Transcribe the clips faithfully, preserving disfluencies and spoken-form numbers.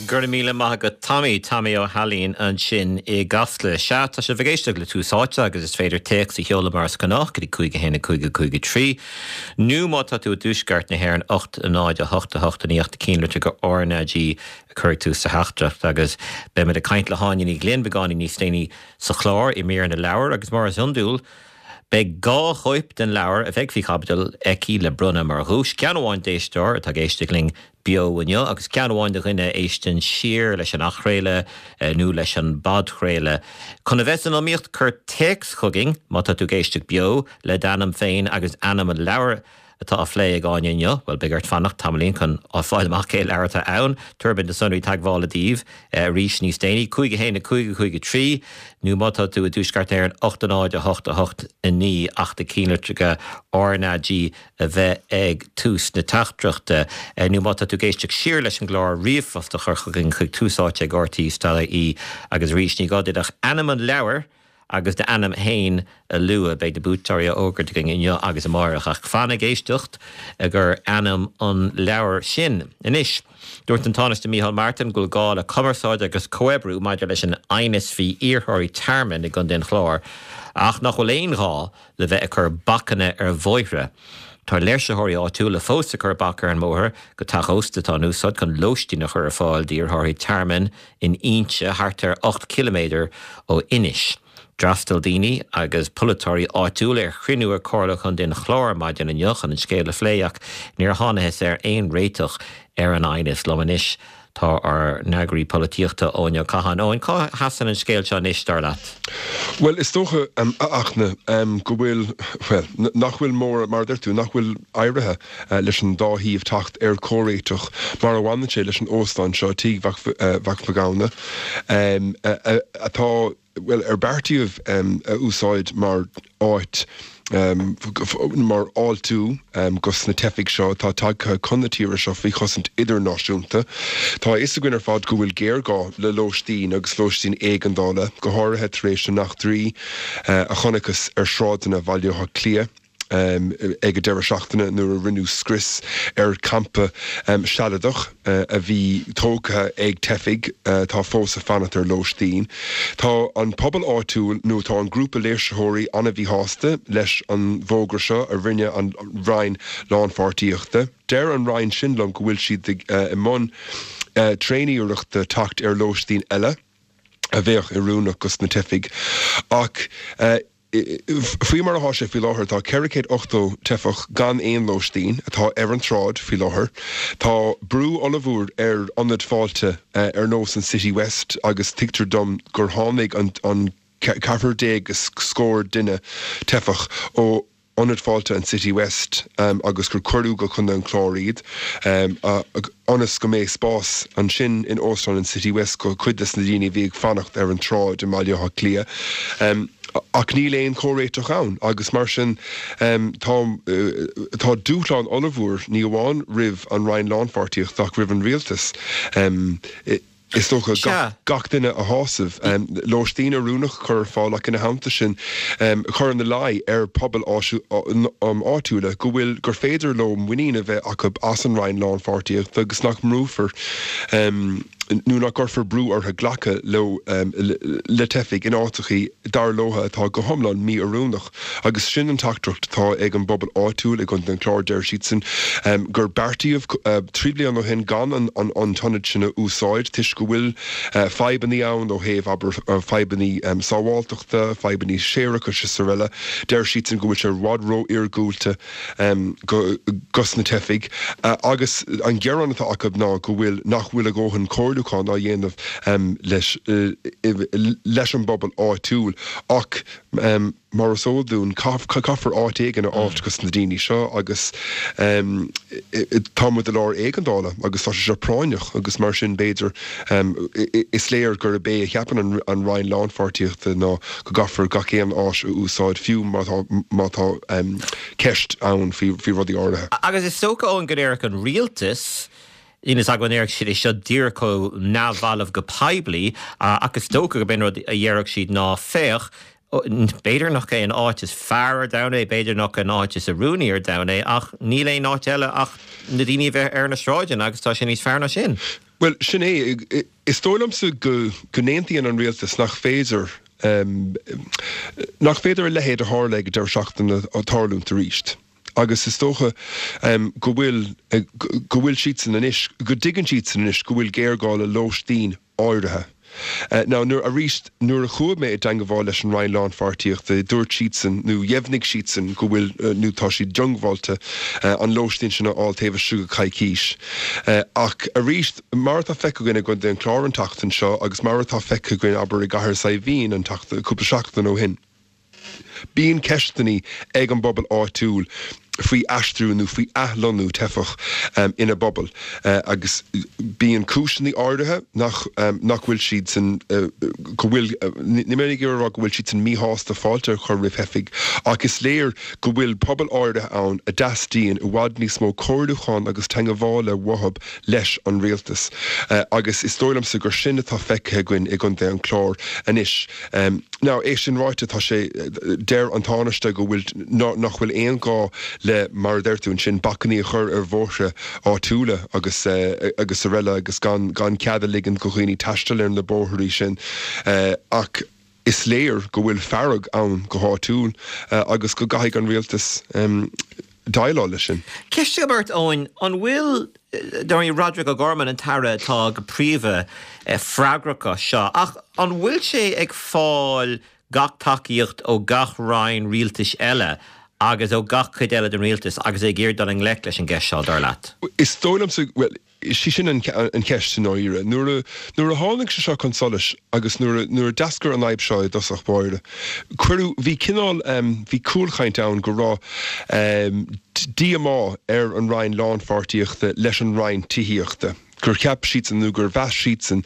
Go raibh míle maith agat Tommy Tommy Ó hAilín ansin i gCasla. Sea tá sibh ag éisteacht le Tús Áite agus is féidir téacs a sheoladh mar is gnách go dtí cúig a haon a cúig a cúig a trí. Nó má tá tú i dtuaisceart na hÉireann ocht a náid a hocht a hocht a naoi ach na cinnlitreacha RnaG a chur ag tús sa teachtaireacht agus beimid ag caint le hÁine Ní Ghlinn beagáinín níos déanaí sa chlár i mír na leabhar agus mar is iondúil, Beidh dhá chóip den leabhar a bheidh faoi chaibidil aici le bronnadh mar dhuais, ceann amháin d'éisteoir atá ag éisteacht linn beo inniu agus ceann amháin do dhuine a éisteann siar leis an athchraoladh nó leis an bpodchraoladh. Chun a bheith san iomaíocht, cuir téacs chugainn má tá tú ag éisteacht beo le d'ainm féin agus ainm an leabhair atá á phlé ag Áine inniu, bhuel beidh ort fanacht tamaillín chun fáil amach cé leabhar atá ann. Tabharfaimid na sonraí teagmhála daoibh arís níos déanaí, cúig a haon a cúig a cúig a trí, nó má tá tú i dtuaisceart na hÉireann, ocht a náid a hocht a hocht a naoi ach na cinnlitreacha RnaG a bheith ag tús na teachtaireachta, nó má tá tú ag éisteacht siar leis an gclár, ríomhphost a chur chugainn chuig túsáite ag rte dot ie agus arís ní gá duit ach ainm an leabhair agus d'ainm féin a lua. Beidh na buaiteoirí á bhfógairt againn inniu agus amárach, ach fan ag éisteacht gur ainm an leabhair sin. Anois, dúirt an Tánaiste Micheál Martin go bhfuil gá le cumarsáid agus comhoibriú maidir leis an aighneas faoi iarrthóirí tearmainn i gContae an Chláir, ach nach bhfuil aon ghá le bheith ag cur bacanna ar bhóithre. Tá léirsitheoirí áitiúla fós ag cur bac ar an mbóthar go teach ósta atá in úsáid chun lóistín a chur ar fáil d'iarrthóirí tearmainn in Inse, thart ar ocht ciliméadar ó Inis. D'fhreastail daoine agus polaiteoirí áitiúla ar chruinniú ag Comhairle Chontae an Chláir maidin inniu chun an scéal a phlé ach níor thángthas ar aon réiteach ar an aighneas. Liom anois tá ár n-eagraí polaitíochta Eoin Ó Catháin. Eoin, cá sheasann an scéal seo anois, dar leat? Bhuel, is dócha, a Fhachtna, go bhfuil, bhuel, nach bhfuil mór, mar a deir tú, nach bhfuil éirithe leis an dá thaobh teacht ar chomhréiteach mar a bhaineann sé leis an óstán seo, Tigh Mhac Mhathghamhna, atá, bhuel, ar beartaíodh a úsáid mar áit, mar fháiltiú dos na teifigh seo atá tagtha chun na tíre seo faoi chosaint idirnáisiúnta. Tá a fhios againn ar fad go bhfuil géarghá le lóistín agus lóistín éigeandála, go háirithe tar éis na n-eachtraí a chonacthas ar shráideanna Bhaile Átha Cliath. ag an deireadh seachtaine nuair a rinneadh scrios ar champa sealadach a bhí tógtha ag teifigh atá fós ag fanacht ar lóistín. Tá an pobal áitiúil nó tá an grúpa léirsitheoirí an-mhíshásta leis an bhfógra seo a rinne an Roinn Lánpháirtíochta. Deir an Roinn sin liom go bhfuil siad i mbun tréaniarrachta teacht ar lóistín eile a bheadh oiriúnach dos na teifigh ach Faoi mar atá sé faoi láthair, tá ceithre chéad ochtó teifeach gan aon lóistín atá ar an tsráid faoi láthair. Tá brú ollmhór ar ionaid fáilte ar nós an City West agus tuigtear dom gur tháinig an ceathrar déag is scór duine teifeach ó ionad fáilte an City West agus gur cuireadh go Contae an Chláir iad ionas go mbeidh spás ansin in Óstán an City West go cuid des na daoine a bhí ag fanacht ar an tsráid i mBaile Átha Cliath. Ach níl aon chomhréiteach ann agus mar sin tá tá dúshlán ollmhór ní amháin roimh an Roinn Lánpháirtíochta ach roimh an Rialtas. Is dócha gach duine a shásamh, lóistín oiriúnach a chur ar fáil ach ina theannta sin cur ina luí ar phobail áitiúla go bhfuil, gur féidir leo muinín a bheith acu as an Roinn Lánpháirtíochta agus nach mbrúfar nó nach gcuirfear brú orthu glacadh leo le teifigh in áiteachaí dar leo atá go hiomlán mí-oiriúnach. Agus sin an teachtaireacht atá ag an bpobal áitiúil i gContae an Chláir, deir siadsan gur beartaíodh trí bliana ó shin gan an t-ionad sin a úsáid toisc go bhfuil fadhbanna ann ó thaobh, abair, fadhbanna sábháilteachta, fadhbanna séarachais is araile. Deir siadsan go bhfuil sé i bhfad ró-iargúlta dos na teifigh agus an gearán atá acu ná go bhfuil, nach bhfuil a dhóthain comhairliúchán á dhéanamh leis leis an bpobal áitiúil ach mar is eol dúinn, caithfear áit éigin a fháilt dos na daoine seo agus tá muid i lár éigeandála agus tá sé seo práinneach agus mar sin b'fhéidir is léir gurb é a cheapann an Roinn Lánpháirtíochta ná go gcaithfear gach aon áis a úsáid fiú má tá má tá ceist ann faoi rudaí áirithe. Agus is dócha, Eoin, go ndéarfadh an rialtas, Níl fhios agam an ndéarfadh siad é seo díreach chomh neamhbhalbh go poiblí, ach is dócha gurb é an rud a dhéarfadh siad ná, féach, b'fhéidir nach é an áit is fearr ar domhan é, b'fhéidir nach é an áit is oiriúnaí ar domhan é, ach níl aon áit eile ach na daoine a bheith ar na sráideanna agus tá sé níos fearr ná sin. Bhuel, sin é. Is dóigh liomsa go go n-aontaíonn an rialtas nach féidir nach féidir a leithéid a tharla ag an deireadh seachtaine tarlúint arís. Agus is dócha go bhfuil go bhfuil siadsan anois, go dtuigeann siadsan anois go bhfuil géarghá le lóistín áirithe. Now, nuair, arís, nuair a chuaigh mé i dteangabháil leis an Roinn Lánpháirtíochta, dúirt siadsan, nó dheimhnigh siadsan go bhfuil, nó tá siad diongbháilte an lóistín sin a fháil taobh istigh de choicís. Ach arís, mar atá feicthe againn i gContae an Chláir an tseachtain seo agus mar atá feicthe againn, abair, i gCathair Saidhbhín an tseachtain, cúpla seachtain ó shin, Bíonn ceisteanna ag an bpobal áitiúil faoi aistriú nó faoi athlonnú teifeach ina bpobal agus bíonn cúiseanna áirithe nach nach bhfuil siadsan go bhfuil, níl mé ag iarraidh a rá go bhfuil siadsan míshásta fáilte a chur roimh theifigh ach is léir go bhfuil pobal áirithe ann a dteastaíonn i bhfad níos mó comhairliúcháin agus teangabhála uathu leis an rialtas agus is dóigh liomsa gur sin atá feicthe againn i gContae an Chláir anois. Now, é sin ráite, tá sé, deir an Tánaiste go bhfuil, nach bhfuil aon ghá le, mar a deir tú ansin, bacainní a chur ar bhóithre áitiúla agus, agus araile agus gan, gan cead a ligean do dhaoine taisteal ar na bóithrí sin. Ach is léir go bhfuil fearg ann go háitiúil agus go gcaithfidh an rialtas déileáil leis sin. Ceist agam ort, Eoin, an bhfuil, dar ndóigh, Roderic O'Gorman an tAire atá go príomha freagrach as seo, ach an bhfuil sé ag fáil gach tacaíocht ó gach roinn rialtais eile agus ó gach cuid eile den rialtas agus é ag iarraidh dul i ngleic leis an gceist seo, dar leat? Is dóigh liomsa, bhuel, is í sin an cheist i ndáiríre. Nuair a, nuair a tháinig sé seo chun solais agus nuair a, nuair a d'eascair an fhadhb seo i dtosach báire, cuireadh, bhí cineál, bhí cúlchaint ann go raibh díomá ar an Roinn Lánpháirtíochta leis an Roinn Tithíochta. gur cheap siadsan nó gur mheas siadsan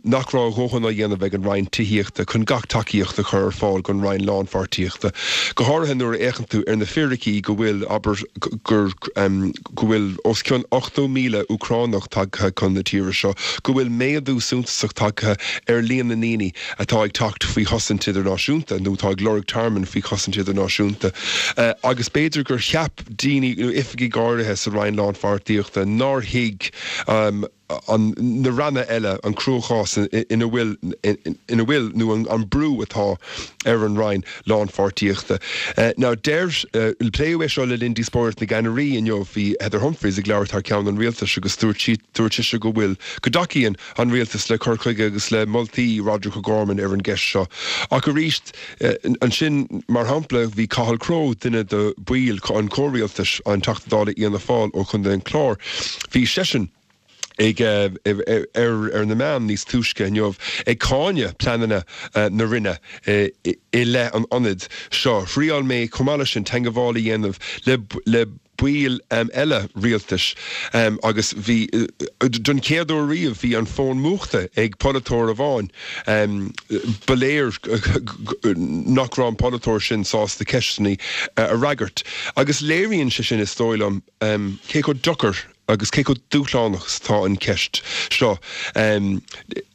nach raibh a dhóthain á dhéanamh ag an Roinn Tithíochta chun gach tacaíocht a chur ar fáil don Roinn Lánpháirtíochta, go háirithe nuair a fhéachann tú ar na fíricí go bhfuil, abair, gur, go bhfuil os cionn ochtó míle Úcránach tagtha chun na tíre seo, go bhfuil méadú suntasach tagtha ar líon na ndaoine atá ag teacht faoi chosaint idirnáisiúnta nó atá ag lorg tearmainn faoi chosaint idirnáisiúnta agus b'fhéidir gur cheap daoine nó oifigigh áirithe sa Roinn Lánpháirtíochta nár thuig an na ranna eile an cruachás ina bhfuil ina bhfuil nó an brú atá ar an Roinn Lánpháirtíochta. Now deir pléadh é seo le linn díospóireacht na gceannairí inniu bhí Heather Humphreys ag labhairt thar ceann an rialtais agus dúirt sí dúirt sise go bhfuil go dtacaíonn an rialtas le cur chuige agus le moltaí Roderic O'Gorman ar an gceist seo. Ach arís ansin, mar shampla, bhí Cathal Crowe, duine de bhaill an chomhrialtais, an Teachta Dála Fhianna Fáil ó Chontae an Chláir, bhí seisean ag ar ar na meáin níos túisce inniu ag cáineadh pleananna na Roinne i leith an ionaid seo. Thriáil mé chomh maith leis sin teangabháil a dhéanamh le le baill eile rialtais agus bhí, don chéad uair riamh, bhí an fón múchta ag polaiteoir amháin. Ba léir nach raibh an polaiteoir sin sásta ceisteanna a fhreagairt agus léiríonn sé sin, is dóigh liom, cé chomh deacair agus cé chomh dúshlánach is atá an cheist seo.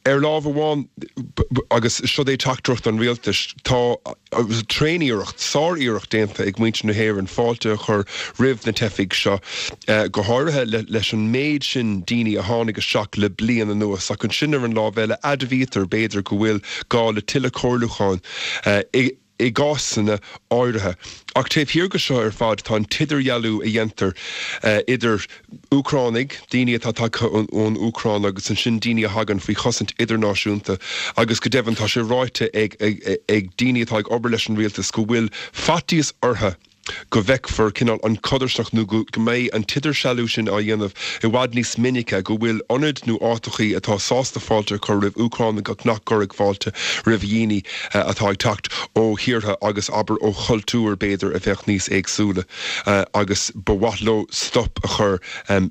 Ar lámh amháin, agus seo é teachtaireacht an rialtais, tá tréaniarracht, sár-iarracht déanta ag muintir na hÉireann fáilte a chur roimh na teifigh seo, go háirithe leis an méid sin daoine a tháinig isteach le bliain anuas, ach ansin ar an lámh eile, admhaítear, b'fhéidir, go bhfuil gá le tuilleadh comhairliúcháin i i gcásanna áirithe. Ach taobh thiar de seo ar fad tá an t-idirdhealú a dhéantar idir Úcránaigh, daoine atá tagtha ón Úcráin agus ansin daoine a thagann faoi chosaint idirnáisiúnta agus go deimhin tá sé ráite ag ag daoine atá ag obair leis an rialtas go bhfuil faitíos orthu go bhfeicfear cineál an chodarsnacht nó go mbeidh an t-idirdhealú sin á dhéanamh i bhfad níos minice, go bhfuil ionaid nó áiteachaí atá sásta fáilte a chur roimh Úcránaigh ach nach gcuirfidh fáilte roimh dhaoine atá ag teacht ó thíortha agus abair ó chultúir b'fhéidir a bheadh níos éagsúla agus ba mhaith leo stop a chur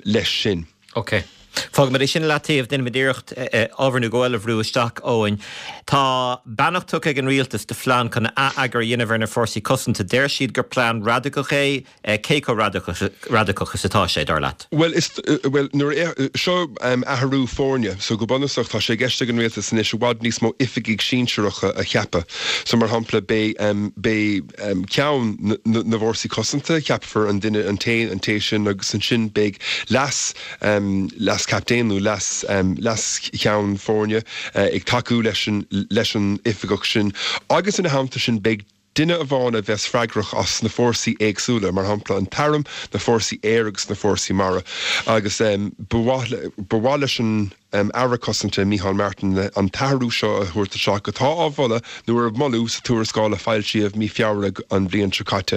leis sin. Ok. Fágfaimid é sin i leataobh, déanfaimid iarracht ábhar nó dhó eile a bhrú isteach, Eoin. Tá beannacht tugtha ag an rialtas do phlean chun ath-eagar a dhéanamh ar na fórsaí cosanta. Deir siad gur plean radacach é. Cé chomh radacach is atá sé, dar leat? Bhuel, is, bhuel, nuair a, seo athrú foirne. So go bunúsach tá sé i gceist ag an rialtas anois i bhfad níos mó oifigigh sinsearacha a cheapadh. So mar shampla beidh, beidh ceann na bhfórsaí cosanta, ceapfar an duine, an té, an té sin agus ansin beidh leas, leas leas-chaptaen nó leas leas-cheann foirne ag tacú leis an leis an oifigeach sin agus ina theannta sin beidh duine amháin a bheas freagrach as na fórsaí éagsúla, mar shampla an t-arm, na fórsaí aeir agus na fórsaí mara agus ba mhaith leis an Aire Cosanta Micheál Martin an t-athrú seo a thabhairt isteach atá á mholadh nó ar moladh sa tuarascáil a foilsíodh mí Feabhra an bhliain seo caite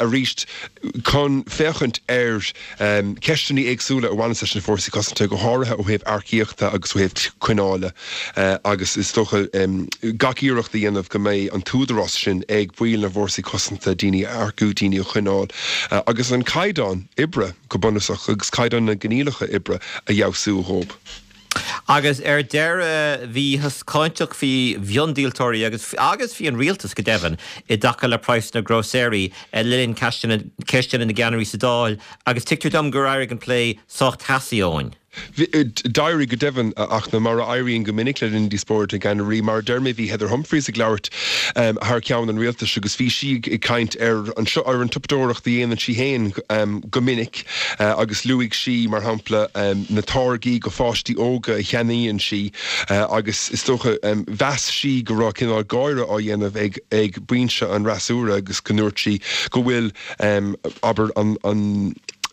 arís chun féachaint ar ceisteanna éagsúla a bhaineann leis na fórsaí cosanta, go háirithe ó thaobh earcaíochta agus ó thaobh coinneála agus is dócha gach iarracht a dhéanamh go mbeidh an t-údarás sin ag baill na bhfórsaí cosanta daoine a earcú, daoine a choinneáil agus an caighdeán oibre go bunúsach agus caighdeán na gcoinníollacha oibre a fheabhsú dhóibh. Agus ar deireadh, bhíothas cáinteach faoi mhiondíoltóirí agus agus faoi an rialtas go deimhin i dtaca le praghsanna grósaeirí le linn ceisteanna na gceannairí sa Dáil agus tuigtear dom gur éirigh an plé sách teasaí, Eoin. D'éirigh go deimhin, ach mar a éiríonn go minic le linn díospóireacht na gceannairí, mar a deir mé, bhí Heather Humphreys ag labhairt thar ceann an rialtais agus bhí sí ag caint ar an ar an tsiopadóireacht a dhéanann sí féin go minic agus luaigh sí, mar shampla, na táirgí do pháistí óga a cheannaíonn sí agus is dócha, mheas sí go raibh cineál gáire á dhéanamh ag ag binse an fhreasúra agus go ndúirt sí go bhfuil, abair, an an.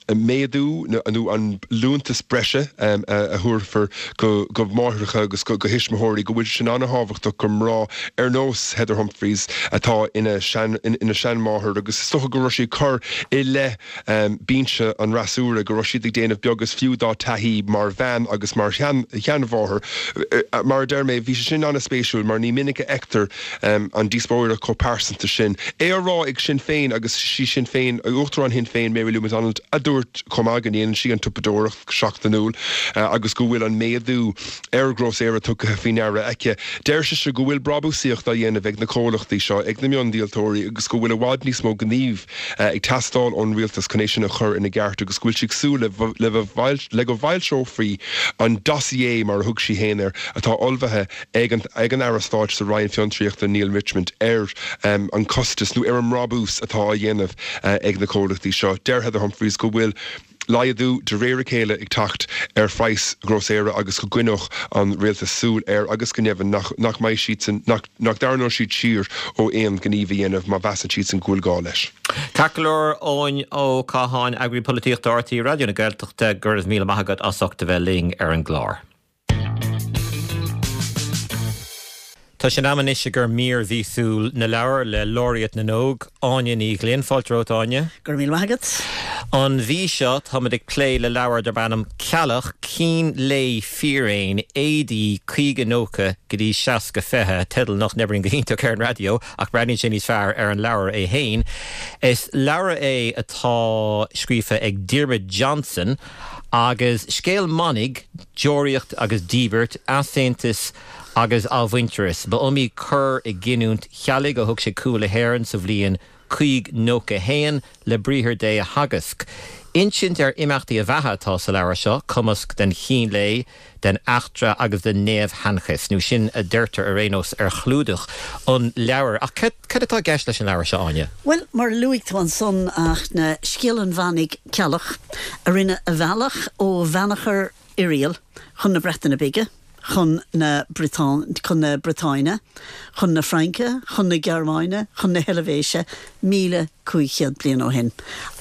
méadú nó an liúntas breise a thabharfar go máithreacha agus go thuismitheoirí, go bhfuil sé sin an-thábhachtach do mhná ar nós Heather Humphreys atá ina seanmháthair agus is dócha go raibh sí ag cur i leith binse an fhreasúra go raibh siad ag déanamh beag is fiú dá taithí mar bhean agus mar sheanmháthair. Mar a deir mé, bhí sé sin an-spéisiúil mar ní minic a fheictear an díospóireacht chomh pearsanta sin. É á rá ag Sinn Féin agus sí Sinn Féin, Uachtarán Shinn Féin Mary Lou McDonald a dúirt chomh maith go ndéanann sí an tsiopadóireacht go seachtainiúil agus go bhfuil an méadú ar ghrósaera tugtha faoi ndeara aici. Deir sise go bhfuil brabúsaíocht á dhéanamh ag na comhlachtaí seo, ag na miondíoltóirí agus go bhfuil i bhfad níos mó gnímh ag teastáil ón rialtas chun é sin a chur ina gceart agus go bhfuil sí ag súil le go bhfoilseofaí an dossier, mar a thug sí féin air, atá ullmhaithe ag an ag an Aire Stáit sa Roinn Fiontraíochta Neale Richmond ar an costas nó ar an mbrabús atá á dhéanamh ag na comhlachtaí seo. Deir Heather Humphreys go bhfuil laghdú de réir a chéile ag teacht ar phraghas grósaera agus go gcoinneodh an rialtas súil air agus go deimhin nach nach mbeidh siadsan nach nach dtarraingeodh siad siar ó aon ghníomh a dhéanamh má mheasann siadsan go bhfuil gá leis. Ceart go leor, Eoin Ó Catháin, Eagraí Polaitíochta RTÉ Raidió na Gaeltachta, go raibh míle maith agat as ucht a bheith linn ar an gclár. Tá sé in am anois i gcomhair mír mhíosúil na leabhar le Laureate na nÓg, Áine Ní Ghlinn. Fáilte romhat, Áine. Go raibh míle maith agat. An mhí seo, táimid ag plé le leabhar darb ainm Ceallach, Cín Lae Fíréin, AD caoga nócha go dtí seasca fiche, teideal nach n-oibríonn go hiontach ar an raidió ach breathnaíonn sé níos fearr ar an leabhar é féin. Is leabhar é atá scríofa ag Diarmuid Johnson agus scéal manaigh, deoraíocht agus díbirt, easaontas agus athmhuintearas. Ba iomaí cor i gcinniúint Cheallaigh ó thug sé cúl le hÉirinn sa bhliain cúig nócha a haon le briathar Dé a theagasc. Insint ar imeachtaí a bheatha atá sa leabhar seo, cumasc den chín lae, den eachtra agus den neamhsheanchas, nó sin a deirtear ar aon nós ar chlúdach an leabhair. Ach cad atá i gceist leis an leabhar seo, Áine? Bhuel, mar a luaigh tú ansan, a Fhachtna, scéal an mhanaigh Ceallach, a rinne a bhealach ó Bheannachar Oiriall chun na Breataine Bige, chun na chun na Briotáine, chun na Fraince, chun na Gearmáine, chun na hEilvéise, míle cúig chéad bliain ó shin.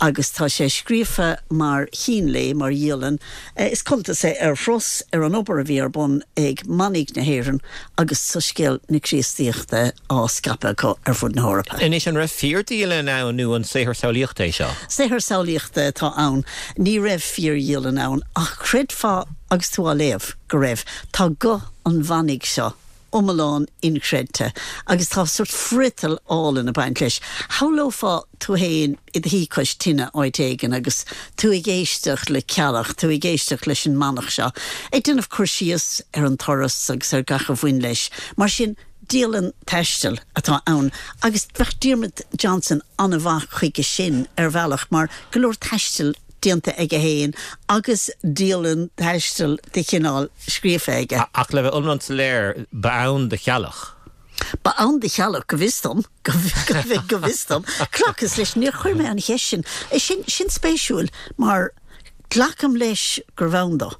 Agus tá sé scríofa mar chín lae, mar dhialann. Is cuntas é ar thuras ar an obair a bhí ar bun ag manaigh na hÉireann agus soiscéal na Críostaíochta á scaipeadh acu ar fud na hEorpa. Anois, an raibh fíordhialann ann nó an saothar samhlaíochta é seo? Saothar samhlaíochta atá ann. Ní raibh fíordhialann ann, ach chreidfeá agus tú á léamh go raibh. Tá guth an mhanaigh seo iomlán inchreidte agus tá sórt friotal álainn ag baint leis. Shamhlófá tú fhéin i do shuí cois tine áit éigin agus tú ag éisteacht le Ceallach, tú ag éisteacht leis an manach seo ag déanamh cur síos ar an turas agus ar gach a bhain leis. Mar sin, dialann taistil atá ann agus bheadh Diarmuid Johnson an-mhaith chuige sin ar bhealach mar go leor taistil déanta aige féin agus dialann taistil de chineál scríofa aige. Ach le bheith iomlán soiléir, ba ann do Cheallach. Ba ann do Cheallach, go bhfios dom, go bhfios dom. Glacas leis, níor chuir mé an cheist sin. Sin, sin spéisiúil mar glacaim leis gurbh ann dó.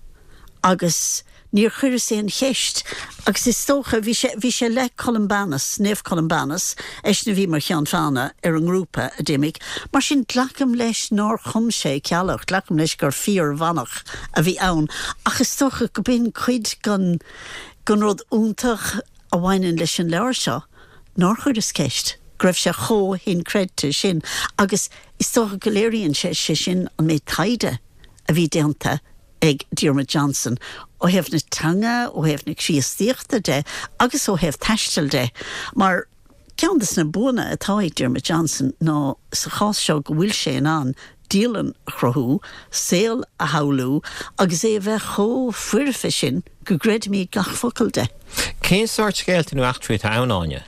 Agus níor chuireas aon cheist agus is dócha bhí sé bhí sé le Columbanus, Naomh Columbanus, eisean a bhí mar cheann feadhna ar an ngrúpa a d'imigh, mar sin glacaim leis nár chum sé Ceallach, glacaim leis gur fíormhanach a bhí ann ach is dócha go b'in cuid den den rud iontach a bhaineann leis an leabhar seo nár chuireas ceist go raibh sé chomh hinchreidte sin agus is dócha go léiríonn sé sé sin an méid taighde a bhí déanta ag Diarmuid Johnson ó thaobh na teanga, ó thaobh na Críostaíochta de agus ó thaobh taistil de, mar ceann de na buanna atá ag Diarmuid Johnson ná sa chás seo go bhfuil sé in ann dialann a chruthú, saol a shamhlú agus é a bheith chomh foirfe sin go gcreidimid gach focal de. Cén sórt scéalta nó eachtraí atá ann Áine?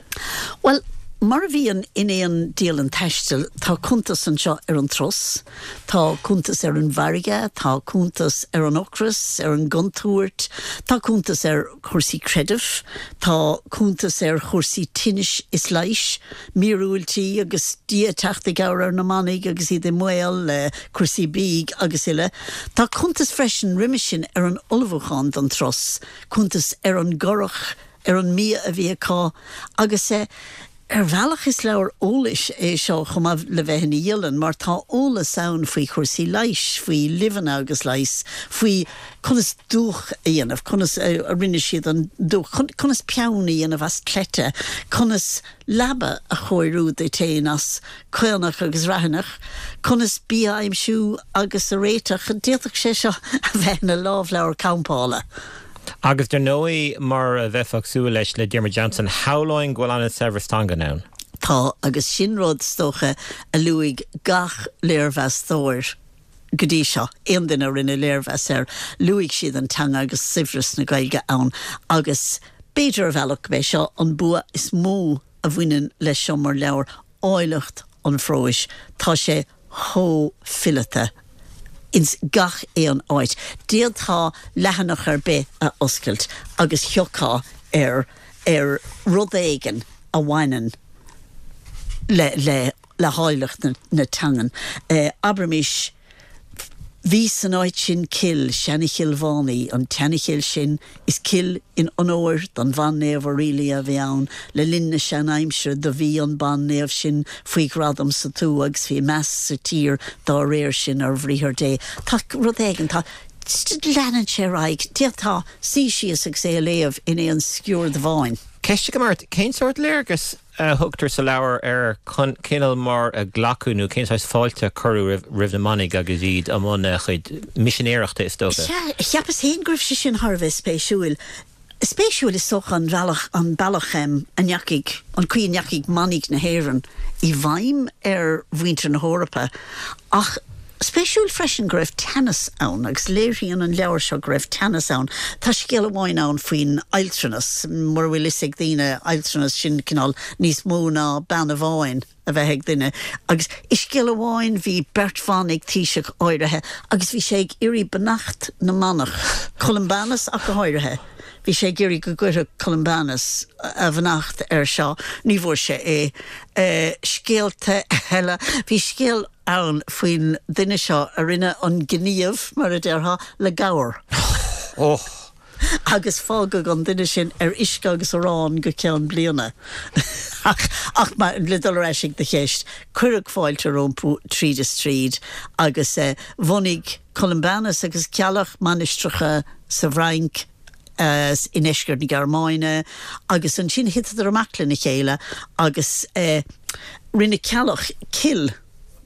Well, mar a bhíonn in aon dialann taistil, tá cuntas anseo ar an turas, tá cuntas ar an bhfarraige, tá cuntas ar an ocras, ar an gcontúirt, tá cuntas ar chúrsaí creidimh, tá cuntas ar chúrsaí tinnis is leighis, míorúiltí agus Dia ag teacht i gcabhair ar na manaigh agus iad i mbaol le cúrsaí bídh agus uile. Tá cuntas freisin roimhe sin ar an ullmhúchán don turas, cuntas ar an gcurach, ar an mbia a bhí acu agus eh, Ar bhealach is leabhar eolais é seo chomh maith le bheith ina dhialann, mar tá eolas ann faoi chúrsaí leighis, faoi luibheanna agus leigheas, faoi conas dúch a dhéanamh, conas a rinne siad an dúch, conas peann a dhéanamh as cleite, conas leaba a chóiriú duit féin as caonach agus raithineach, conas bia a aimsiú agus a réiteach. D'fhéadfadh sé seo a bheith ina lámhleabhar campála. Agus dar ndóigh mar a bheifeá ag súil leis le Diarmuid Johnson, shamhlóinn go bhfuil an-saibhreas teanga ann. Tá, agus sin rud is dócha a luaigh gach léirmheastóir go dtí seo, aon duine a rinne léirmheas air, luaigh siad an teanga agus saibhreas na Gaeilge ann agus b'fhéidir ar bhealach gurb é seo an bua is mó a bhaineann leis seo mar leabhar, áilleacht an phróis. Tá sé chomh fileata ins gach aon áit. D'fhéadfá leathanach ar bith a oscailt agus thiocfá ar ar rud éigin a bhaineann le le le háilleacht na na teangan. Abraimis, Bhí san áit sin cill, seana-Chill Mhánaí, an tseana-chill sin, is cill in onóir don bhan-naomh Aurelia a bhí ann. Le linn na sean-aimsire do bhí an ban-naomh sin faoi ghradam sa tuath agus bhí meas sa tír dá réir sin ar bhriathar Dé. Tá rud éigin, tá, leanann sé ar aghaidh, d'fhéadfá suí síos agus é a léamh in aon sciuird amháin. Ceist agam ort, cén sórt léargas a thugtar sa leabhar ar cineál mar a glacadh nó cén saghas fáilte a cuireadh roimh na manaigh agus iad i mbun a gcuid misinéireachta is dócha? Sea, cheapas féin go raibh sé sin thar a bheith spéisiúil. Spéisiúil is dócha an bhealach, an bealach a ndeachaigh, an chaoi a ndeachaigh manaigh na hÉireann i bhfeidhm ar mhuintir na hEorpa ach Spéisiúil freisin go raibh teannas ann, agus léiríonn an leabhar seo go raibh teannas ann. Tá scéal amháin ann faoin adhaltranas, mura bhfuil fhios ag daoine, adhaltranas, sin cineál níos mó ná bean amháin a bheith ag duine. Agus i scéal amháin bhí beirt bhan ag taoiseach áirithe agus bhí sé ag iarraidh beannacht na manach, Columbanus ach go háirithe, bhí sé ag iarraidh go gcuirfeadh Columbanus a bheannacht air seo, ní bhfuair sé é. Scéalta eile, bhí scéal. ann faoin duine seo a rinne an gníomh, mar a déarfá, le gabhar. Agus fágadh an duine sin ar uisce agus arán go ceann bliana. Ach, ach le dul ar ais ag do cheist, cuireadh fáilte rompu tríd is tríd agus bhunaigh Columbanus agus Ceallach mainistreacha sa bhFrainc, i ndeisceart na Gearmáine agus ansin thiteadar amach lena chéile agus rinne Ceallach cill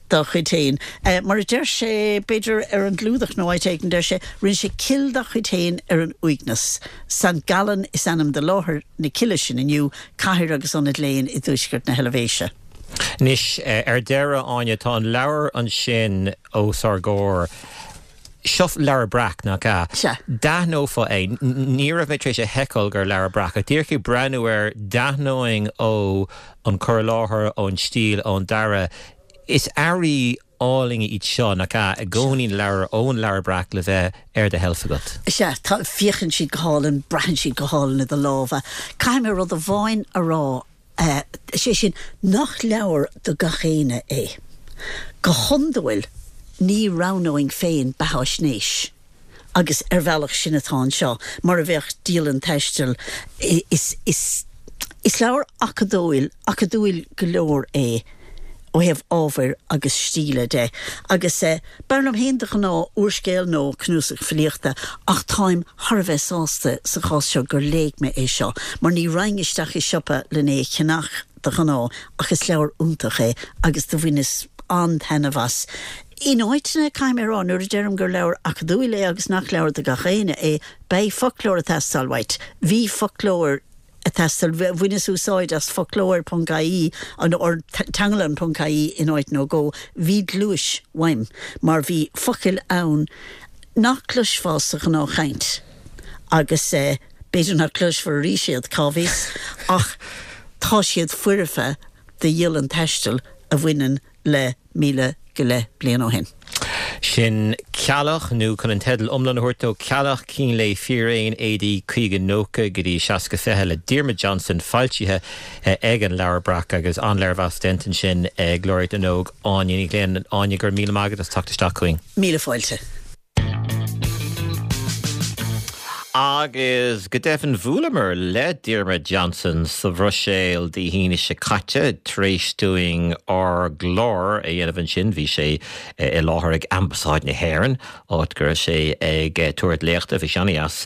dá chuid féin. Mar a deir sé, b'fhéidir ar an gclúdach nó áit éigin, deir sé, rinne sé cill dá chuid féin ar an uaigneas. Sankt Gallen is ainm do láthair na cille sin inniu, cathair agus ionad léinn i dtuaisceart na hEilvéise. Anois, ar deireadh, Áine, tá an leabhar ansin os ár gcomhair. Seo leabhar breac, nach ea? Sea. D'aithneofá é. Ní raibh mé tar éis a sheiceáil gur leabhar breac, ach díreach ag breathnú air, d'aithneoinn ó an cur i láthair, ón stíl, ón dearadh. Is earraí álainn iad seo, nach ea? I gcónaí na leabhair ón leabhar breac le bheith ar do sheilf agat. Sea, tá, féachann siad go hálainn, braitheann siad go hálainn i do lámha. Caithfidh mé rud amháin a rá. Sé sin, nach leabhar do gach éinne é. Go hiondúil, ní roghnóinn féin beatháisnéis Agus ar bhealach sin atá anseo, mar a bheadh dialann taistil is, is, is leabhar acadúil acadúil go leor é ó thaobh ábhair agus stíle de. Agus eh, b'fhearr liom féin de ghnáth úrscéal nó cnuasach filíochta ach táim thar a bheith sásta sa chás seo gur léigh mé é seo, mar ní raghainn isteach i siopa lena cheannach de ghnáth ach is leabhar iontach é agus do bhaineas an-taitneamh as. In áiteanna caithfidh mé a rá nuair a deirim gur leabhar acadúil é agus nach leabhar do gach éinne é beidh foclóir ag teastáil uait. Bhí foclóir ag teastáil bhaineas úsáid as foclóir ponc ie an or teanglann ponc ie in áit nó dhó bhí gluais uaim mar bhí focail ann nach gcloisfeá sa ghnáthchaint agus eh, b'fhéidir nach gcloisfear arís iad cá bhfios ach tá siad foirfe do dhialann taistil a bhaineann le míle go leith bliain ó shin. Sin Ceallach nó chun an teideal iomlán a thabhairt dó Ceallach Cín Lae Fíréin AD caoga nócha go dtí seasca fiche le Diarmuid Johnson foilsithe ag an Leabhar Breac agus an léirmheas déanta ansin ag Laureate na nÓg Áine Ní Ghlinn Áine go raibh míle maith agat as teacht isteach chugainn. Míle fáilte. Agus go deimhin bhuaileamar le Diarmuid Johnson sa Bhruiséil Dé hAoine seo caite tar éis dúinn ár gclár a dhéanamh ansin bhí sé i láthair ag Ambasáid na hÉireann áit go raibh sé ag tabhairt léachta bhí sé an-deas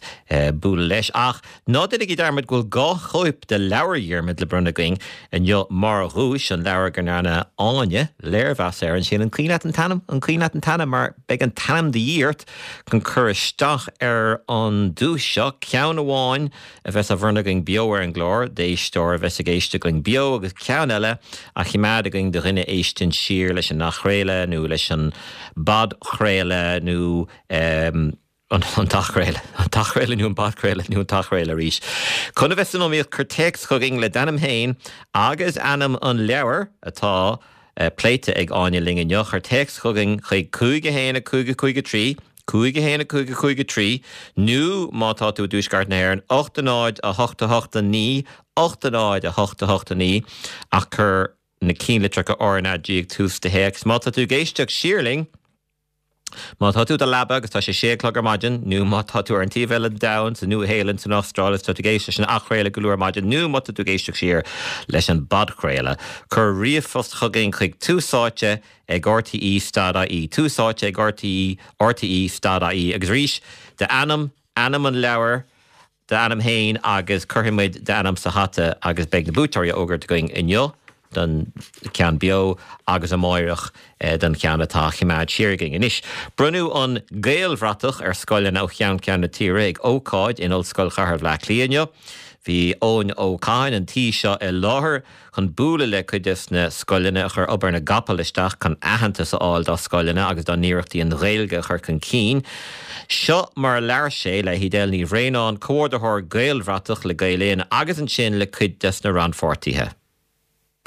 bualadh leis ach ná déanaigí dearmad go bhfuil dhá chóip de leabhar Dhiarmuid le bronnadh againn inniu mar dhuais an leabhar go ndearna Áine léirmheas air ansin an cuimhin leat an t-ainm an cuimhin leat an t-ainm mar beidh an t-ainm de dhíth ort chun cur isteach ar an duais seo ceann amháin a bheas á bhronnadh againn beo ar an gclár d'éisteoir a bheas ag éisteacht linn beo agus ceann eile á choimeád againn do dhuine a éisteann siar leis an athchraoladh nó leis an bpodchraoladh nó um, an t-athchraoladh, an t-athchraoladh nó an podchraoladh nó an t-athchraoladh arís. Chun a bheith san iomaíocht cuir téacs chugainn le d'ainm féin agus ainm an leabhair atá eh, pléite ag Áine linn inniu cuir téacs chugainn chuig cúig a haon a cúig a cúig a trí, cúig a haon a cúig a cúig a trí, nó má tá tú i dtuaisceart na hÉireann, ocht a náid a hocht a hocht a naoi, ocht a náid a hocht a hocht a naoi, ach cuir na cinnlitreacha RnaG ag tús do théacs. Má tá tú ag éisteacht siar linn, Má tá tú i do leaba agus tá sé sé a chlog ar maidin, nó má tá tú ar an taobh eile den domhan, sa Nua-Shéalainn, san Astráil, is tá tú ag éisteacht leis an athchraoladh go luath ar maidin, nó má tá tú ag éisteacht siar leis an bpodchraoladh, cuir ríomhphost chugainn chuig túsáite ag rte stad ie, túsáite ag rte rte stad ie, agus arís, d'ainm, ainm an leabhair, d'ainm féin agus cuirfidh muid d'ainm sa hata agus beidh na buaiteoirí á bhfógairt againn inniu don cheann beo agus amáireach don cheann atá á choimeád siar againn. Anois, bronnadh an Gaelbhratach ar scoileanna ó cheann ceann na tíre ag ócáid in Ollscoil Chathair Bhaile Átha Cliath inniu. Bhí Eoin Ó Catháin an tí seo i láthair chun bualadh le cuid des na scoileanna a chuir obair na gcapall isteach chun aitheantas a fháil dá scoileanna agus dá n-iarrachtaí an Ghaeilge a chur chun cinn. Seo mar a labhair sé le hEdel Ní Bhraonáin, Comhordaitheoir Gaelbhratach le Gael Linn agus ansin le cuid des na rannpháirtithe.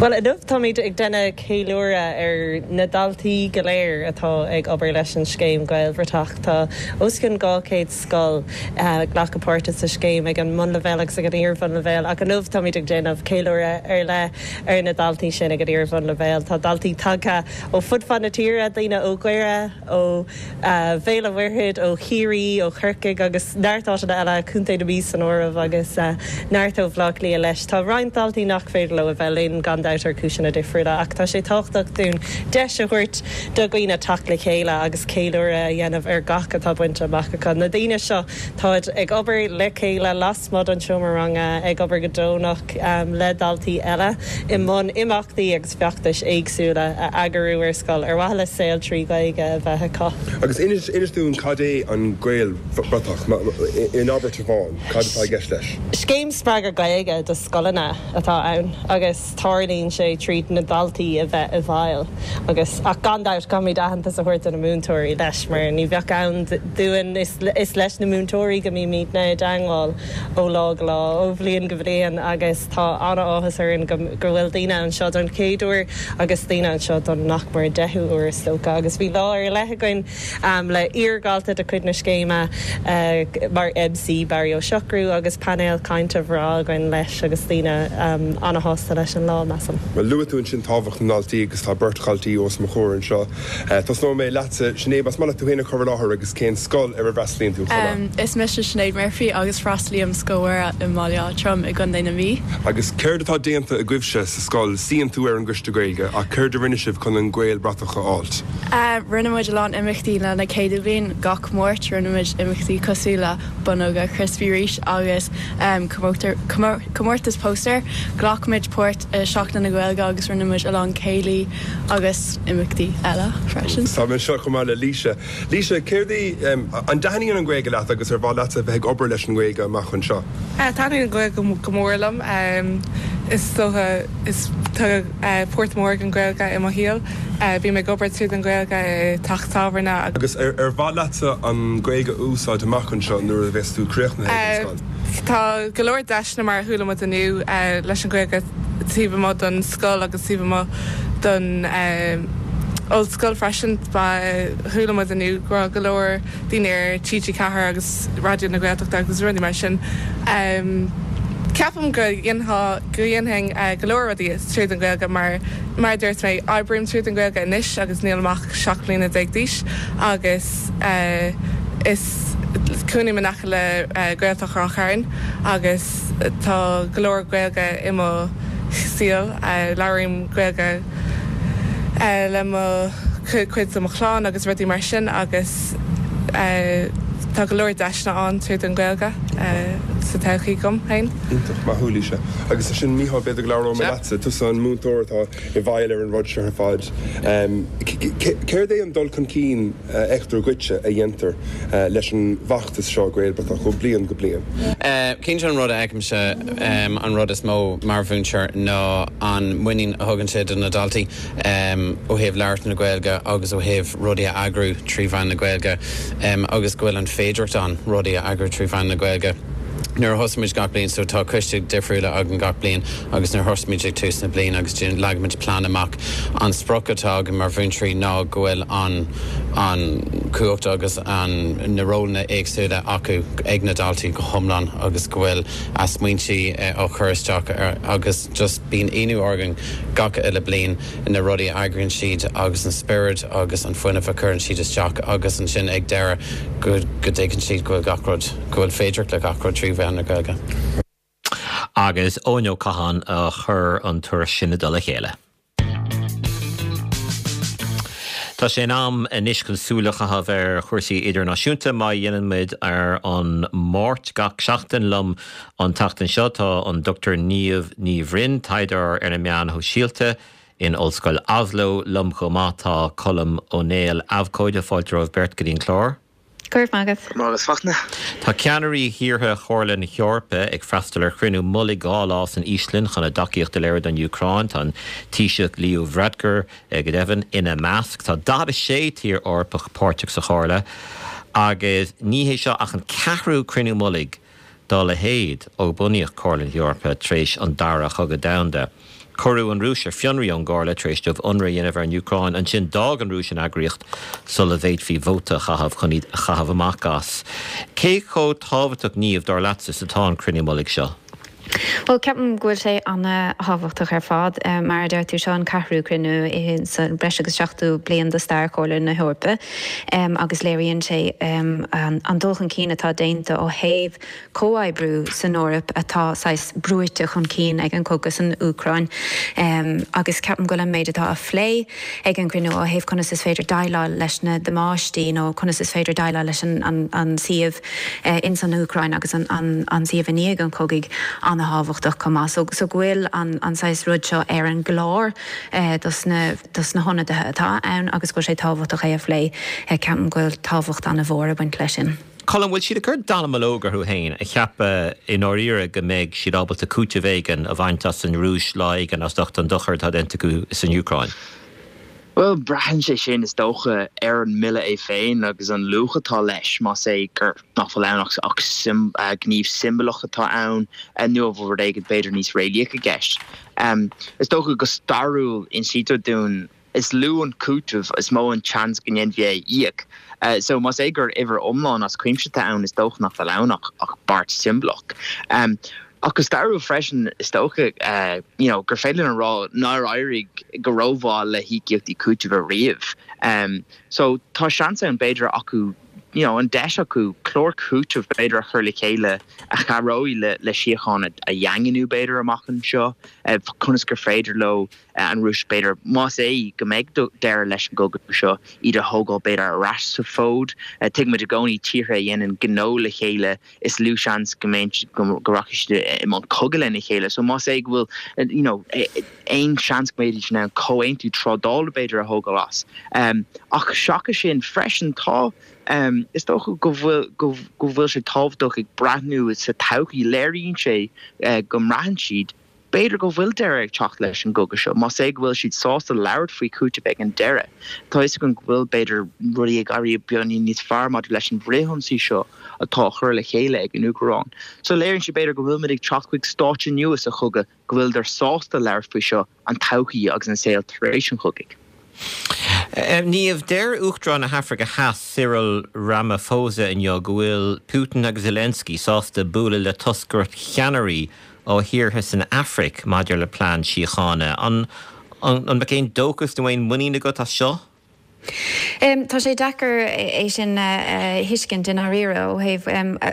Bhuel, inniu táimid ag déanamh ceiliúradh ar na daltaí go léir atá ag obair leis an scéim Gaelbhratach. Tá os cionn dhá chéad scoil ag glacadh páirte sa scéim ag an mbunleibhéal agus ag an iar-bhunleibhéal ach inniu táimid ag déanamh ceiliúradh ar leith ar na daltaí sin ag an iar-bhunleibhéal. Tá daltaí tagtha ó fud fad na tíre, daoine ó Dhoire, ó Bhéal an Mhuirthead, ó Chiarraí, ó Chorcaigh agus neart áiteanna eile, Contae na Mí san áireamh agus neart ó Bhaile Átha Cliath leis. Tá roinnt daltaí nach féidir leo a bheith linn gan dabht ar chúiseanna difriúla ach tá sé tábhachtach dúinn deis a thabhairt do dhaoine teacht le chéile agus ceiliúradh a dhéanamh ar gach atá bainte amach acu. Na daoine seo, táid ag obair le chéile lasmuigh den seomra ranga, ag obair go deonach le daltaí eile i mbun imeachtaí agus feachtais éagsúla a eagrú ar scoil ar mhaithe le saol trí Ghaeilge a bheith acu. Agus inis inis dúinn cad é an Gaelbhratach, in abairt amháin, cad atá i gceist leis? Scéim spreagadh Gaeilge do scoileanna atá ann agus tarlaíonn sé tríd na daltaí a bheith i bhfeighil agus ach gan dabht caithfimid aitheantas a thabhairt do na múinteoirí leis mar ní bheadh ann dúinn is is leis na múinteoirí go mbímidne i dteangmháil ó lá go lá, ó bhliain go bliain agus tá an-áthas orainn go go bhfuil daoine anseo don chéad uair agus daoine anseo don nach mór deichiú uair is dócha agus bhí lá ar leith againn le iardhalta de chuid na scéime mar MC Barry Ó Siochrú agus painéal cainte bhreá againn leis agus daoine an-shásta leis an lá, measaim. ceapaim. Bhuel, luaigh tú ansin tábhacht na ndaltaí agus tá beirt dhaltaí os mo chomhair anseo. Tosnóidh mé leatsa, Sinéad, más maith leat tú féin a chur i láthair agus cén scoil ar a bhfreastalaíonn tú chomh maith? Is mise Sinéad Murphy agus freastalaím Scoil Mhuire i mBaile Átha Troim i gContae na Mí. Agus céard atá déanta agaibhse sa scoil? Suíonn tú ar an gcoiste Gaeilge ach céard a rinne sibh chun an Gaelbhratach a fháilt? Rinne muid a lán imeachtaí lena céadú bliain gach Máirt, rinne muid imeachtaí cosúil le bonnóga crispy rís agus comórtas póstaer. Ghlac muid páirt i Seachtain na Gaeilge agus rinne muid a lán céilí agus imeachtaí eile freisin. Tá mé anseo chomh maith le Laoise. Laoise, céard í, an dtaitníonn an Ghaeilge leat agus ar mhaith leatsa bheith ag obair leis an nGaeilge amach anseo? Taitníonn an Ghaeilge go mór liom. Is dócha is tá páirt mhór ag an Ghaeilge i mo shaol. Bím ag obair tríd an Ghaeilge i dteach tábhairne. Agus ar mhaith leatsa an Ghaeilge a úsáid amach anseo nuair a bheas tú críochnaithe ag an scoil? Tá go leor deiseanna mar a chuala muid inniu leis an Ghaeilge taobh amuigh den scoil agus taobh amuigh den ollscoil freisin. Chuala muid inniu go raibh go leor daoine ar TG Ceathair agus Raidió na Gaeltachta agus rudaí mar sin. Ceapaim go go dhéanfainn go leor rudaí tríd an Ghaeilge mar mar a dúirt mé oibrím tríd an Ghaeilge anois agus níl ach seacht mbliana déag d'aois agus is cónaím in aice le Gaeltacht Ráth Chairn agus tá go leor Gaeilge i mo shaol labhraím Gaeilge le mo cuid de mo chlann agus rudaí mar sin agus tá go leor deiseanna ann tríd an Ghaeilge sa todhchaí dom féin. Iontach, maith thú Laoise. Agus ansin Mícheál b'fhéidir go labhróidh mé leatsa, tusa an múinteoir atá i bhfeighil ar an rud seo ar fad. Céard é an dul chun cinn a fheictear dhuitse a dhéantar leis an bhfeachtas seo Gaelbhratach ó bliain go bliain? Cinnte an rud a fheicimse an rud is mó mar mhúinteoir ná an muinín a thugann sé do na daltaí ó thaobh labhairt na Gaeilge agus ó thaobh rudaí a eagrú trí mheán na Gaeilge agus go bhfuil an féidireacht ann rudaí a eagrú trí mheán na Gaeilge. Nuair a thosaímid gach bliain so tá coiste difriúla againn gach bliain agus nuair thosaímid ag tús na bliana agus leagaimid plean amach an sprioc atá againn mar mhúinteoirí ná go bhfuil an an cumhacht agus an na rólanna éagsúla acu ag na daltaí go hiomlán agus go bhfuil a smaointe á chur isteach agus just bíonn ionadh orainn gach uile bliain na rudaí a eagraíonn siad agus an spiorad agus an fuinneamh a chuireann siad isteach agus ansin ag deireadh go go dtuigeann siad go bhfuil gach rud go bhfuil féidir le gach rud trí mheán na Gaeilge. Agus Eoin Ó Catháin a chuir an tuairisc sin i dtoll a chéile. Tá sé in am anois chun súil a chaitheamh ar chúrsaí idirnáisiúnta mar a dhéanann muid ar an Máirt gach seachtain liom an tseachtain seo tá an Dr Niamh Ní Bhroin taighdeoir ar na meáin shóisialta in Ollscoil Oslo liom chomh maith tá Colm Ó Néill abhcóide fáilte romhaibh beirt go dtí an clár. Go raibh maith agat. Magus Fachtna. Tá ceannairí thíortha Chomhairle na hEorpa ag freastal ar chruinniú mullaigh dhá lá san Íoslainn chun a dtacaíocht a léiriú don Úcráin tá an Taoiseach Leo Varadkar go deimhin ina measc. Tá daichead a sé tír Eorpach páirteach sa Chomhairle agus ní hé seo ach an ceathrú cruinniú mullaigh dá leithéid ó bunaíodh Comhairle na hEorpa tar éis an dara cogadh domhanda. Cuireadh an Rúis ar fionraí ón gComhairle tar éis dóibh ionradh a dhéanamh ar an Úcráin, ansin d'fhág an Rúis an eagraíocht sula bhféadfaí vóta a chaitheamh chun iad a chaitheamh amach as. Cé chomh tábhachtach Niamh dar leatsa is atá an cruinniú mullaigh seo? Well ceapaim go bhfuil sé an-tábhachtach ar fad mar a deir tú seo an ceathrú cruinniú sa breis agus seachtó bliain de stair Chomhairle na hEorpa agus léiríonn sé an dul chun cinn atá déanta ó thaobh comhoibriú san Eoraip atá saghas brúite chun cinn ag an cogadh san Úcráin agus ceapaim go bhfuil an méid atá á phlé ag an gcruinniú ó thaobh conas is féidir déileáil leis na damáistí nó conas is féidir déileáil leis an an an suíomh in san Úcráin agus an an an suíomh i ndiaidh an chogaidh an-tábhachtach chomh maith. So so go bhfuil an an saghas rud seo ar an gclár dos na dos na hionadaithe atá ann agus go bhfuil sé tábhachtach é a phlé ceapaim go bhfuil tábhacht an-mhór ag baint leis sin. Colm bhfuil siad ag cur dallamullóg orthu féin ag ceapadh i ndáiríre go mbeidh siad ábalta cúiteamh éigin a bhaint as an Rúis lá éigin as ucht an dochar atá déanta acu san Úcráin. Well braitheann sé sin is dócha ar an mbille é féin agus an luach atá leis más é gur nach bhfuil ann ach ach sim, uh, gníomh siombalach atá ann nó an bhfuil rud éigin b'fhéidir níos réalaíoch i gceist. Um, is dócha go stairiúil insítear dúinn is lú an cúiteamh is mó an chance go ndéanfaí é íoc. Uh, so más é gur uimhir iomlán as cuimse atá ann is dócha nach bhfuil ann ach ach beart siombalach. Um, Ach go stairiúil freisin, is dócha you know gur féidir linn a rá nár éirigh go rómhaith le híocaíochtaí cúitimh ariamh. So tá seans ann b'fhéidir acu you know an deis acu clár cúitimh b'fhéidir a chur le chéile a chabhróidh le le síocháin a dhaingniú b'fhéidir amach anseo, conas gur féidir leo an Rúis b'fhéidir más é go mbeidh deireadh leis an gcogadh seo iad a thógáil b'fhéidir ar ais sa bhfód. Tuigimid i gcónaí tíortha a dhéanann gnó le chéile is lú seans go mbeidh go rachaidh siad i mbun cogadh lena chéile. So más é go bhfuil you know aon seans go mbeidís in ann comhaontú trádála b'fhéidir a thógáil as. Ach seachas sin freisin tá is dócha go bhfuil go bhfuil sé tábhachtach ag breathnú sa todhchaí léiríonn sé go mbraitheann siad b'fhéidir go bhfuil deireadh ag teacht leis an gcogadh seo, más é go bhfuil siad sásta labhairt faoi chúiteamh ag an deireadh. Tá a fhios againn go bhfuil, b'fhéidir, rudaí ag éirí beagáinín níos fearr maidir leis an bhfrithionsaí seo atá á chur le chéile ag an Úcráin. So léiríonn sé, b'fhéidir, go bhfuilimid ag teacht chuig stáitse nua sa chogadh, go bhfuileadar sásta labhairt faoi seo, an todhchaí agus an saol tar éis an chogaidh. Niamh, deir Uachtarán na hAfraice Theas, Cyril Ramaphosa inniu go bhfuil Putin agus Zelensky sásta bualadh le toscaireacht cheannairí ó thíortha san Afraic maidir le plean síochána. An mbeadh aon dóchas nó aon mhuinín agat as seo? Tá sé deacair é sin a thuiscint i ndáiríre ó thaobh,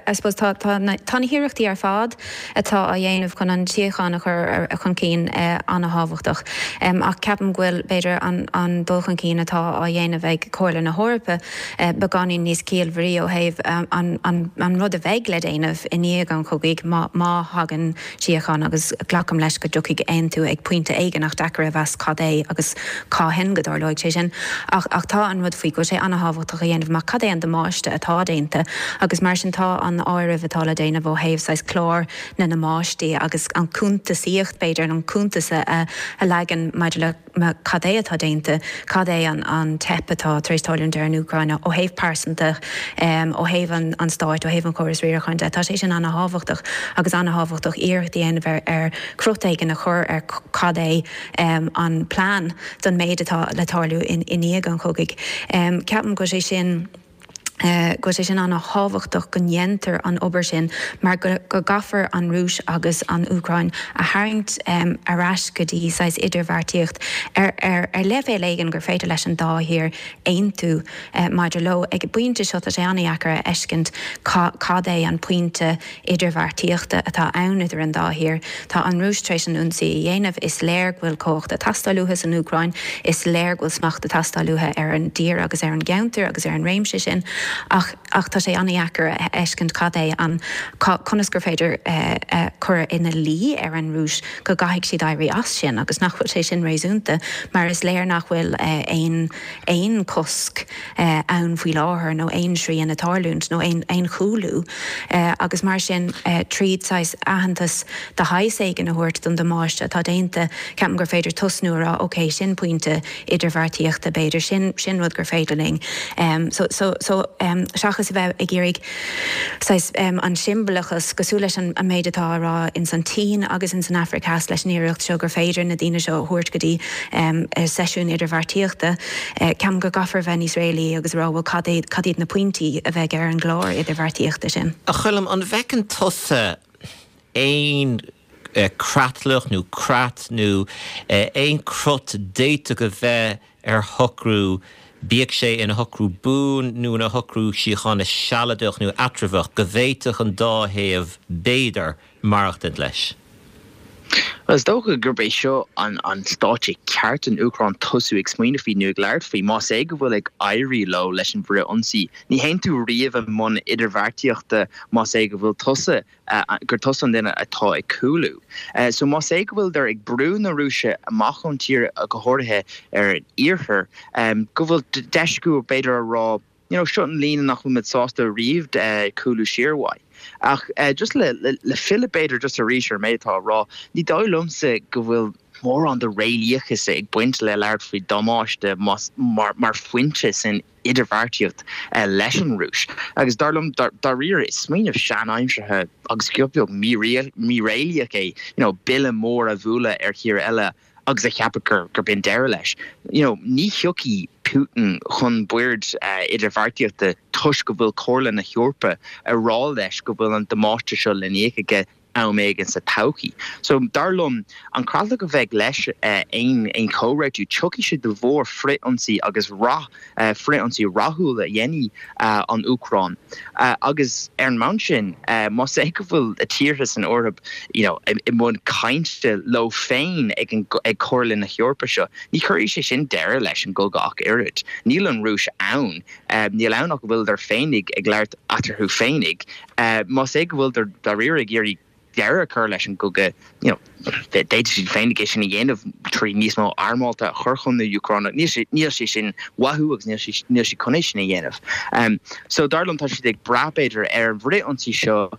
I suppose tá tá na hiarrachtaí ar fad atá á dhéanamh chun an tsíocháin a chur chun cinn an-thábhachtach ach ceapaim go bhfuil b'fhéidir an dul chun cinn atá á dhéanamh ag Comhairle na hEorpa beagáinín níos ciallmhairí ó thaobh an rud a bheidh le déanamh i ndiaidh an chogaidh má thagann síocháin agus glacaim leis go dtiocfaidh aontú ag pointe éigin ach deacair a mheas cad é agus cathain go dtarlóidh sé sin. Ach ach tá an rud faoi go bhfuil sé an-thábhachtach a dhéanamh amach cad é an damáiste atá déanta agus mar sin tá an áireamh atá le déanamh ó thaobh saghas clár na ndamáistí agus an cuntasaíocht b'fhéidir an cuntas a a leagan maidir le cad é atá déanta, cad é an an teip atá tar éis tarlúint ar an Úcráin ó thaobh pearsanta, ó thaobh an an stáit, ó thaobh an chórais riaracháin de. Tá sé sin an-thábhachtach agus an-thábhachtach iarracht a dhéanamh ar ar crot éigin a chur ar cad é an plean don méid atá le tarlú i ndiaidh an chogaidh. Ceapaim go bhfuil sé sin go bhfuil sé sin an-thábhachtach go ndéantar an obair sin mar go gcaithfear an Rúis agus an Úcráin a tharraingt ar ais go dtí saghas idirbheartaíocht ar ar ar leibhéal éigin gur féidir leis an dá thír aontú maidir leo. Ag an bpointe seo tá sé an-dheacair a fheiscint cad é an pointe idirbheartaíochta atá ann idir an dá thír. Tá an Rúis tar éis an ionsaí a dhéanamh, is léir go bhfuil cumhacht ag teastáil uathu san Úcráin, is léir go bhfuil smacht ag teastáil uathu ar an dtír agus ar an gceantar agus ar an réimse sin ach ach tá sé an-dheacair a fheiscint cad é an conas gur féidir cur ina luí ar an Rúis go gcaithfidh siad éirí as sin agus nach bhfuil sé sin réasúnta mar is léir nach bhfuil aon aon chosc ann faoi láthair nó aon srian ag tarlúint nó aon aon chúlú agus mar sin tríd saghas aitheantas de shaghas éigin a thabhairt don damáiste atá déanta ceapaim gur féidir tosnú a rá ok sin pointe idirbheartaíochta b'fhéidir sin sin rud gur féidir linn so so so seachas a bheith ag iarraidh saghas an siombalachas cosúil leis an méid atá á rá ins an tSín agus ins an Afraic Theas leis an iarracht seo gur féidir na daoine seo a thabhairt go dtí seisiún idirbheartaíochta. Ceapaim go gcaithfear a bheith níos réalaí agus a rá bhuel cad é cad iad na pointí a bheidh ar an gclár idirbheartaíochta sin. A Choilm, an bhfeiceann tusa aon creatlach nó creat nó aon crot d'fhéadfadh a bheith ar shocrú, bíodh sé ina shocrú buan nó ina shocrú síochána sealadach nó eatramhach, go bhféadfadh an dá thaobh, b'fhéidir, maireachtaint leis? Bhuel, is dócha gurb é seo an an stáitse ceart don Úcráin tosú ag smaoineamh faoi nó ag labhairt faoi. Más é go bhfuil ag éirí leo leis an bhfrith-ionsaí, ní théann tú riamh i mbun idirbheartaíochta más é go bhfuil tusa gur tusa an duine atá ag cúlú. So más é go bhfuileadar ag brú na Rúise amach ón tír, go háirithe ar an iarthar, go bhfuil deis acu b'fhéidir a rá, you know, seo an líne nach bhfuil muid sásta riamh cúlú siar uaidh. Ach just le le filleadh b'fhéidir just arís ar an méid atá á rá, ní dóigh liomsa go bhfuil mórán de réalaíochas ag baint le labhairt faoi damáiste mar mar phointe san idirbheartaíocht leis an Rúis. Agus dar liom, dáiríre, is smaoineamh sean-aimseartha agus giota beag míréalaíoch é, you know, bille mór a bhualadh ar thír eile agus a cheapadh gur gur b'in deireadh leis. You know, ní thiocfaidh Putin chun boird idirbheartaíochta toisc go bhfuil Comhairle na hEorpa ag rá leis go bhfuil an damáiste seo le n-íoc aige. am éigin sa todhchaí. So dar liom an creatlach a bheidh leis aon aon chomhréitiú tiocfaidh sé de bharr frith-ionsaí agus rath frith-ionsaí rathúil a dhéanfaidh an Úcráin. Agus ar an mbonn sin más é go bhfuil tíortha san Eoraip you know, i mbun cainte leo féin ag an ag Comhairle na hEorpa seo, ní chuirfidh sé sin deireadh leis an gcogadh ach oiread. Níl an Rúis ann, níl ann ach go bhfuiltear féinig ag labhairt eatarthu féinig. Más é go bhfuiltear dáiríre ag iarraidh deireadh a chur leis an gcogadh, you know, d'fhéadfadh siad féinig é sin a dhéanamh trí níos mó armálta a chur chun na hÚcráine. Níl sé níl sé sin uathu agus níl sé níl sé chun é sin a dhéanamh. Um, so dar liom tá siad ag brath b'fhéidir ar an bhfrith-ionsaí seo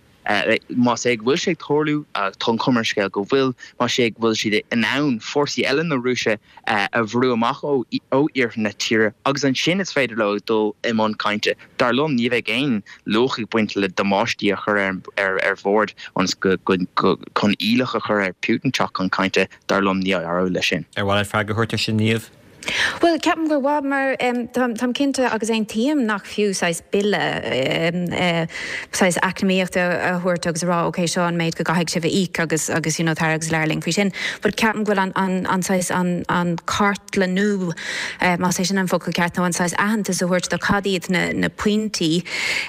más é go bhfuil sé ag tarlú, tá an chuma ar an scéal go bhfuil, más é go bhfuil siad in ann fórsaí eile na Rúise a bhrú amach ó iarthar na tíre agus ansin is féidir leo dul i mbun cainte. Dar liom, ní bheidh aon luach ag baint le damáistí a chur ar ar bhord ionas go chun iallach a chur ar Putin teacht chun cainte, dar liom ní éireoidh leis sin. Ar mhaith leat freagra a thabhairt air sin, Niamh? Bhuel, ceapaim gur mhaith mar táim cinnte agus aontaím nach fiú saghas bille saghas eacnamaíochta a thabhairt agus a rá ok seo an méid go gcaithfidh sibh a íoc agus agus you know tar agus labhair linn faoi sin. But ceapaim go bhfuil an an an saghas an an cartlannú más é sin an focal ceart nó an saghas aitheantas a thabhairt do cad iad na na pointí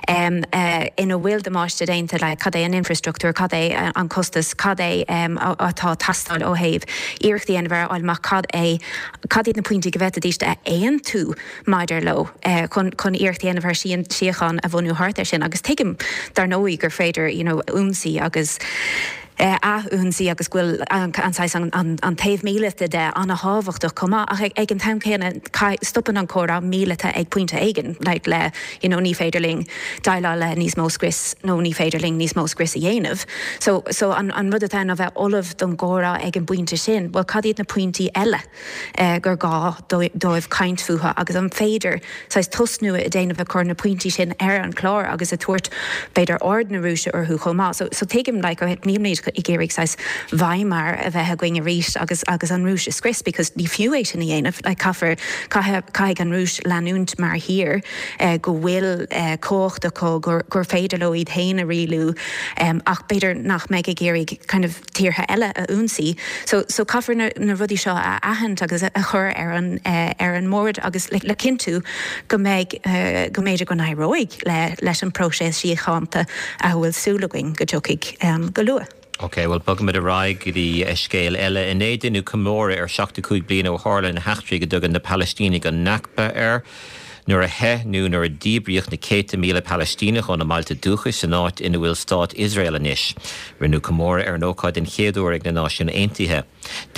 ina bhfuil damáiste déanta like cad é an infrastruchtúr, cad é an costas, cad é atá ag teastáil ó thaobh iarrachtaí a dhéanamh ar a fháil amach cad é cad iad na pointí go bhféadfaidís a aontú maidir leo chun chun iarracht a dhéanamh ar síocháin a bhunú thart air sin agus tuigim dar ndóigh gur féidir you know ionsaí agus ath-ionsaí agus go bhfuil an saghas an an taobh míleata de an-thábhachtach chomh maith ach ag an t-am céanna stopann an comhrá míleata ag pointe éigin like le you know ní féidir linn déileáil le níos mó scrios nó ní féidir linn níos mó scrios a dhéanamh. So so an an rud atá ná bheith ullamh don gcomhrá ag an bpointe sin, well cad iad na pointí eile gur gá dóibh caint fúthu agus an féidir saghas tosnú a dhéanamh ag cur na pointí sin ar an chlár agus a tabhairt b'fhéidir aird na Rúise orthu chomh maith. So so tuigim like nílimid ag iarraidh saghas Weimar a bheith againn arís agus agus an Rúis a scrios because ní fiú é sin a dhéanamh like caithfear caithfidh an Rúis leanúint mar thír go bhfuil cumhacht acu gur gur féidir leo iad féin a rialú ach b'fhéidir nach mbeidh ag iarraidh kind of tíortha eile a ionsaí. So so caithfear na na rudaí seo a aithint agus a chur ar an ar an mbord agus le le cinntiú go mbeidh go mb'fhéidir go n-éireoidh le leis an próiseas síochánta a bhfuil súil againn go dtiocfaidh go luath. Ok, bhuel bogfaimid ar aghaidh go dtí scéal eile. Inné deineadh comóradh ar seachtó cúig bliain ó tharla na heachtraí go dtugann na Palaistínigh an Nakba air. Nuair a theith nó nuair a díbríodh na céadta míle Palaistíneach óna mbailte dúchais san áit ina bhfuil stát Iosrael anois. Rinneadh comóradh ar an ócáid den chéad uair ag na Náisiúin Aontaithe.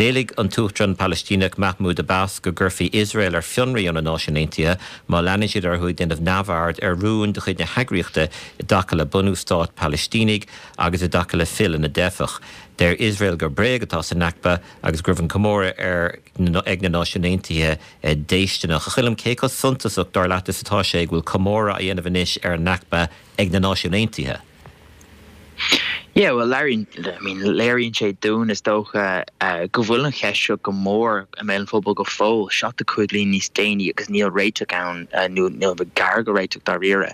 D'éiligh an tUachtarán Palaistíneach Mahmoud Abbas go gcuirfí Iosrael ar fionraí ó na Náisiúin Aontaithe má leanann siad orthu ag déanamh neamhaird ar rúin de chuid na heagraíochta i dtaca le bunú stát Palaistínigh agus i dtaca le filleadh na dteifeach. Deir Iosrael gur bréag atá sa Nakba agus go raibh an comóradh ar ag na Náisiúin Aontaithe déistineach. A Choilm, cé chomh suntasach dar leat is atá sé go bhfuil comóradh á dhéanamh anois ar an Nakba ag na Náisiúin Aontaithe? Yeah, well léiríonn I mean léiríonn sé dúinn is dócha go bhfuil an cheist seo go mór i mbéal an phobail go fóill, seachtó cúig bliain níos déanaí agus níl réiteach ann nó níl gar go réiteach dáiríre.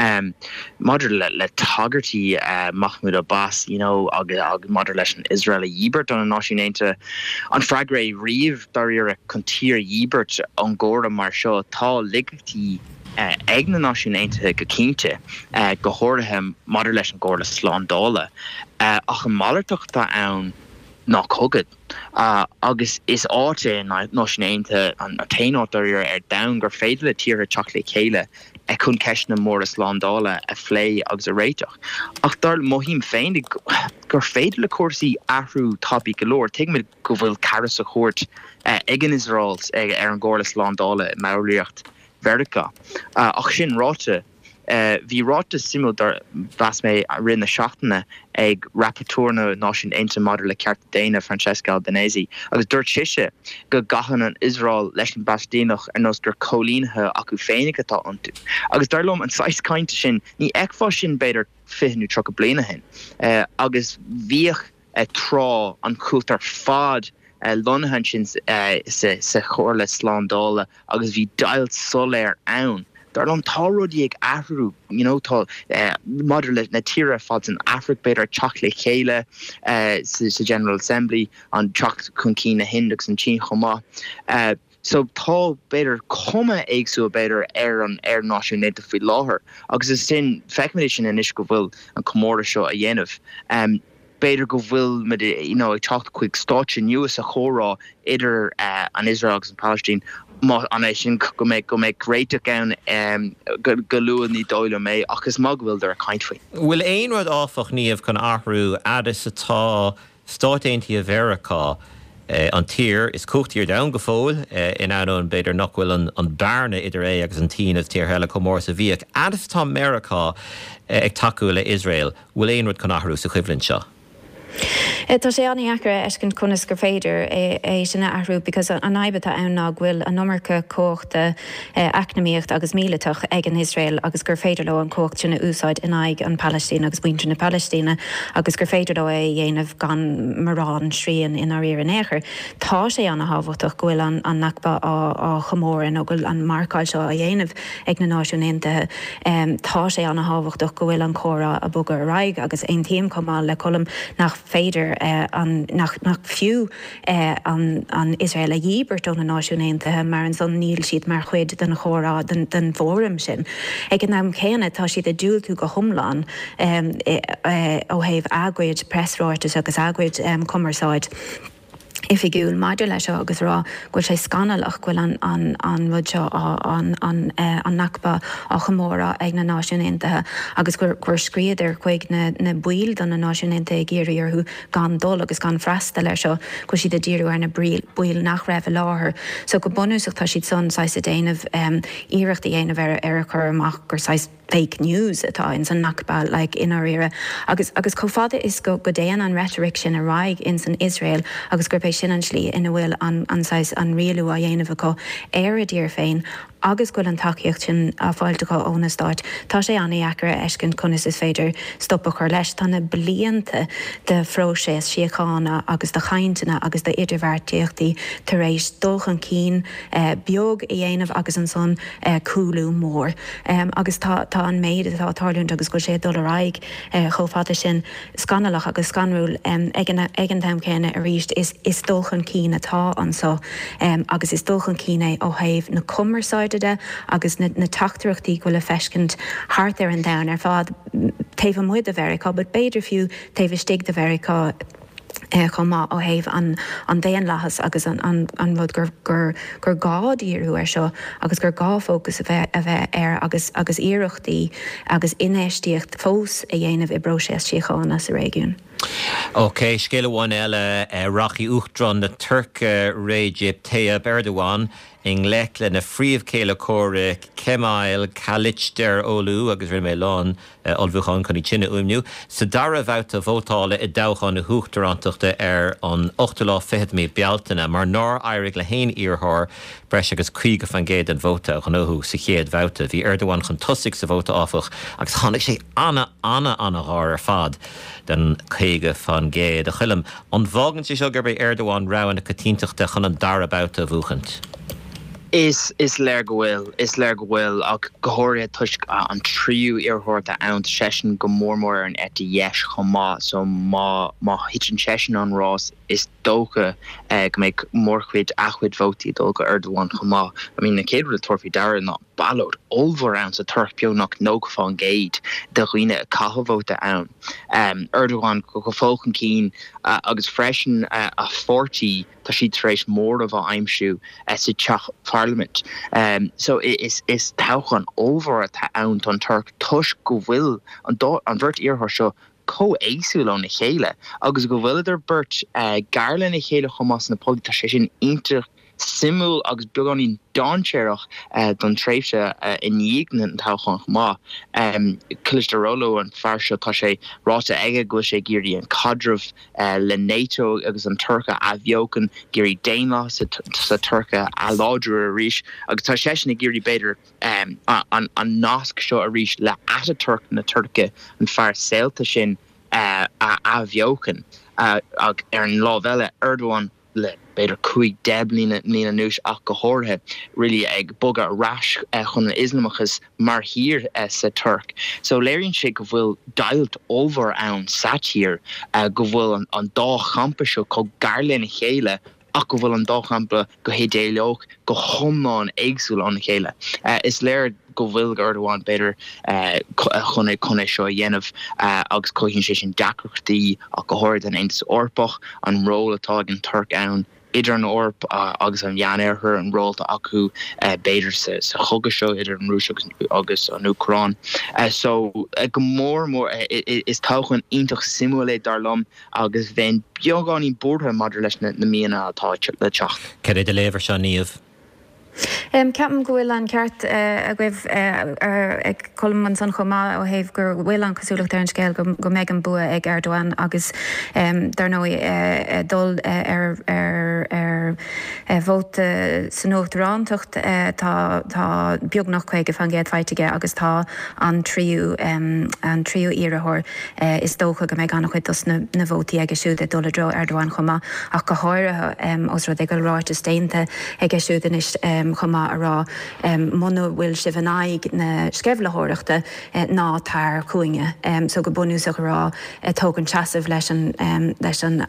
Um, maidir le le tagairtí uh, Mahmoud Abbas, you know, agus agus maidir leis an Israel a dhíbirt ó na Náisiúin Aontaithe, an freagra é riamh dáiríre chun tír a dhíbirt ón gcomhrá mar seo tá laigeachtaí uh, ag na Náisiúin Aontaithe go cinnte, uh, go háirithe maidir leis an gComhairle Slándála. Uh, ach an malartach atá ann ná cogadh. Uh, agus is áit é na Náisiúin Aontaithe an t-aon áit dáiríre ar domhan gur féidir le tíortha teacht le chéile chun ceisteanna móra slándála a phlé agus a réiteach. Ach dar mothaím féin gur féidir le cúrsaí athrú tapaidh go leor, tuigimid go bhfuil cara sa chúirt ag an Iosrael ar an gComhairle Slándála i mballraíocht Mheiriceá. Ach sin ráite, bhí ráiteas suimiúil dar mheas mé i rith na seachtaine ag Rapporteur na Náisiún Aontaithe maidir le cearta daonna Francesca Albanese agus dúirt sise go gcaitheann an Iosrael leis na Palaistínigh ar nós gur coilínithe acu féinig atá iontu. Agus dar liom an saghas cainte sin ní fheicfeá sin b'fhéidir fiche nó tríocha bliain ó shin. Agus bhíodh tráth an chumhacht ar fad lonnaithe ansin sa Chomhairle Slándála agus bhí deighilt soiléir ann. Dar liom tá rudaí ag athrú, you know, tá maidir le na tíortha ar fad san Afraic b'fhéidir ag teacht le chéile sa General Assembly, an teacht chun cinn na hIndia agus an tSín chomh maith. So tá b'fhéidir cuma éagsúil b'fhéidir ar an ar Náisiúin Aontaithe faoi láthair agus is sin feicimid é sin anois go bhfuil an comóradh seo a dhéanamh. Um, b'fhéidir go bhfuil muid you know, ag teacht chuig stáitse nua sa chomhrá idir uh, an Israel agus an Palestine má an é sin go mbeidh go mbeidh réiteach ann um, go, go luath ní dóigh liom é ach is maith go bhfuil ag caint faoi. Bhfuil aon rud áfach Niamh chun athrú fhad is atá Stáit Aontaithe Mheiriceá an tír is cumhachtaí ar domhan go fóill in ainneoin b'fhéidir nach bhfuil an an bearna idir é agus an tSín is tíortha eile chomh mór is a bhíodh. Fhad is atá Meiriceá ag tacú le Iosrael, bhfuil aon rud chun athrú sa choimhlint seo? Tá sé an-deacair a fheiscint conas gur féidir é sin a athrú because an fhadhb atá ann ná go bhfuil an iomarca cumhachta eacnamaíocht agus míleatach ag an Iosrael agus gur féidir leo an chumhacht sin a úsáid in aghaidh an Palaistín agus muintir na Palaistíne agus gur féidir leo é a dhéanamh gan mórán srian in áiríre in aon chor. Tá sé an-thábhachtach go bhfuil an an Nakba á á chomóradh nó go bhfuil an marcáil seo á dhéanamh ag na Náisiúin Aontaithe. Um, tá sé an-thábhachtach go bhfuil an comhrá ag bogadh ar aghaidh agus aontaím chomh maith le Colm nach féidir uh, an, nach, nach fiú uh, an, an Israel a dhíbirt ó na Náisiúin Aontaithe mar ansan níl siad mar chuid den chomhrá den, den fóram sin. Ag an am céanna tá siad ag diúltú go hiomlán um, e, e, ó thaobh a gcuid preasráitis agus a gcuid um, cumarsáid. oifigiúil maidir leis seo agus rá go bhfuil sé scannalach go bhfuil an, an, an rud seo an, an, uh, an Nakba á chomóradh ag na Náisiúin Aontaithe agus gur, gur scríobhadar chuig na, na baill de na Náisiúin Aontaithe ag iarraidh orthu gan dul agus gan freastal air seo go siad ag díriú ar na baill nach raibh i láthair. So go bunúsach tá siad san saghas ag déanamh um, iarracht a dhéanamh ar ar a chur amach gur saghas fake news atá in san Nakba like in áiríre agus agus chomh fada is go go dtéann an rhetoric sin ar aghaidh in san Israel agus gurb é sin an slí ina bhfuil an an saghas an rialú á dhéanamh acu ar a dtír féin agus go bhfuil an tacaíocht sin á fáil acu ó na stáit. Tá sé an-deacair a fheiscint conas is féidir stop a chur leis tá na blianta de phróiseas síochána agus de chainteanna agus de idirbheartaíochtaí tar éis dul chun cinn eh, beag a dhéanamh agus ansan eh, cúlú mór. Um, agus tá tá an méid atá ag tarlúint agus go sé dul ar aghaidh eh, chomh fada sin scannalach agus scanrúil um, ag an ag an am céanna arís is, is dul chun cinn atá anseo um, agus is dul chun cinn é ó thaobh na cumarsáide de agus na, na teachtaireachtaí go le feiscint thart ar an domhan ar fad taobh amuigh de Mheiriceá, but b'fhéidir fiú taobh istigh de Mheiriceá eh, chomh maith ó thaobh an, an daonlathas agus an, an, an rud gur, gur, gur gá díriú air seo agus gur gá fócas a bheith a bheith air agus agus iarrachtaí agus infheistíocht fós a dhéanamh i bpróiseas síochána sa réigiún. Ok, scéal amháin eile eh, rachaidh Uachtarán na Tuirce Recep Tayyip Erdogan i ngleic lena phríomhchéile comhraic Kemal Kılıçdaroğlu agus rinne mé lán eh, ullmhúchán chun í sin a fhuaimniú. Sa dara babhta vótála i dtoghchán na huachtarántachta ar an ochtú lá fichead mí Bealtaine, mar nár éirigh le haon iarrthóir breis agus caoga faoin gcéad den vóta a ghnóthú sa chéad bhabhta. Bhí Erdogan chun tosaigh sa vóta áfach agus tháinig sé ana ana ana ghar ar fad den caoga faoin gcéad a Choilm. An bhfágann sé seo gurb é Erdogan rogha na coitiantachta chun an dara babhta a bhuachaint. Is is léir go bhfuil is léir go bhfuil ach go háirithe toisc an tríú iarrthóir ann seisean go mór mór ar an eite dheis chomh maith so má má thiteann seisean an rás is dócha eh, go mbeidh mórchuid a chuid vótaí dul go Erdogan chomh maith. I mean na chéad rud tabhair faoi deara ná ballóid ollmhór ann sa Tuirc beagnach nócha faoin gcéad de dhaoine a chaith vóta ann. Um, Erdogan go go fóill chun cinn uh, agus freisin uh, a pháirtí tá siad tar éis móramh a aimsiú uh, sa teach Parliament. Um, so is is toghchán ollmhór atá ann don Tuirc toisc go bhfuil an, an bheirt iarrthóir seo chomh héagsúil óna chéile agus go bhfuileadar beirt uh, gar lena chéile chomh maith na pollaí tá sé sin iontach suimiúil agus beagáinín dainséarach uh, don tréimhse uh, i ndiaidh an toghchán maith. Um, Kılıçdaroğlu an fear seo tá sé ráite aige go sé ag iarraidh an caidreamh uh, le NATO agus an Tuirc a athbheochan ag iarraidh daonlathas sa, sa Tuirc a láidriú arís agus tá seisean ag iarraidh b'fhéidir um, an, an nasc seo arís le Atatürk na Tuirce an fear saolta sin uh, a athbheochan uh, ag ar an lámh eile Erdogan le b'fhéidir cúig deich mbliana anuas ach go háirithe really ag bogadh ar ais chun an Ioslamachas mar thír sa Tuirc. So léiríonn sé go bhfuil deighilt ollmhór ann sa tír, go bhfuil an dá champa seo chomh gar lena chéile ach go bhfuil an dá champa go hidéalach go hiomlán éagsúil óna chéile. Is léir go bhfuil Erdogan b'fhéidir chun chun é seo a dhéanamh agus cothaíonn sé sin deacrachtaí ach go háirithe don Aontas Eorpach an ról atá ag an Tuirc ann idir an Eoraip agus an Meánoirthear an ról atá acu b'fhéidir sa chogadh seo idir an Rúis agus an Úcráin. So go mór mór is toghchán iontach suimiúil é dar liom agus bheinn beagáinín buartha maidir leis na míonna atá le teacht. Cad é do léamh air seo Niamh? Ceapaim go bhfuil an ceart agaibh ag Colm ansan chomh maith ó thaobh go bhfuil an chosúlacht ar an scéal go mbeidh an bua ag Erdogan agus dar ndóigh dul ar ar vóta san uachtarántacht tá tá beagnach caoga faoin gcéad faighte aige agus tá an tríú an tríú iarrthóir is dócha go mbeidh an-chuid dos na na vótaí aige siúd ag dul i dtreo Erdogan chomh maith ach go háirithe os rud é go bhfuil ráiteas déanta aige siúd anois chomh maith a rá muna bhfuil sibh in aghaidh na sceimhlitheoireachta ná tar chugainne. So go bunúsach a rá tógaint seasamh leis an leis an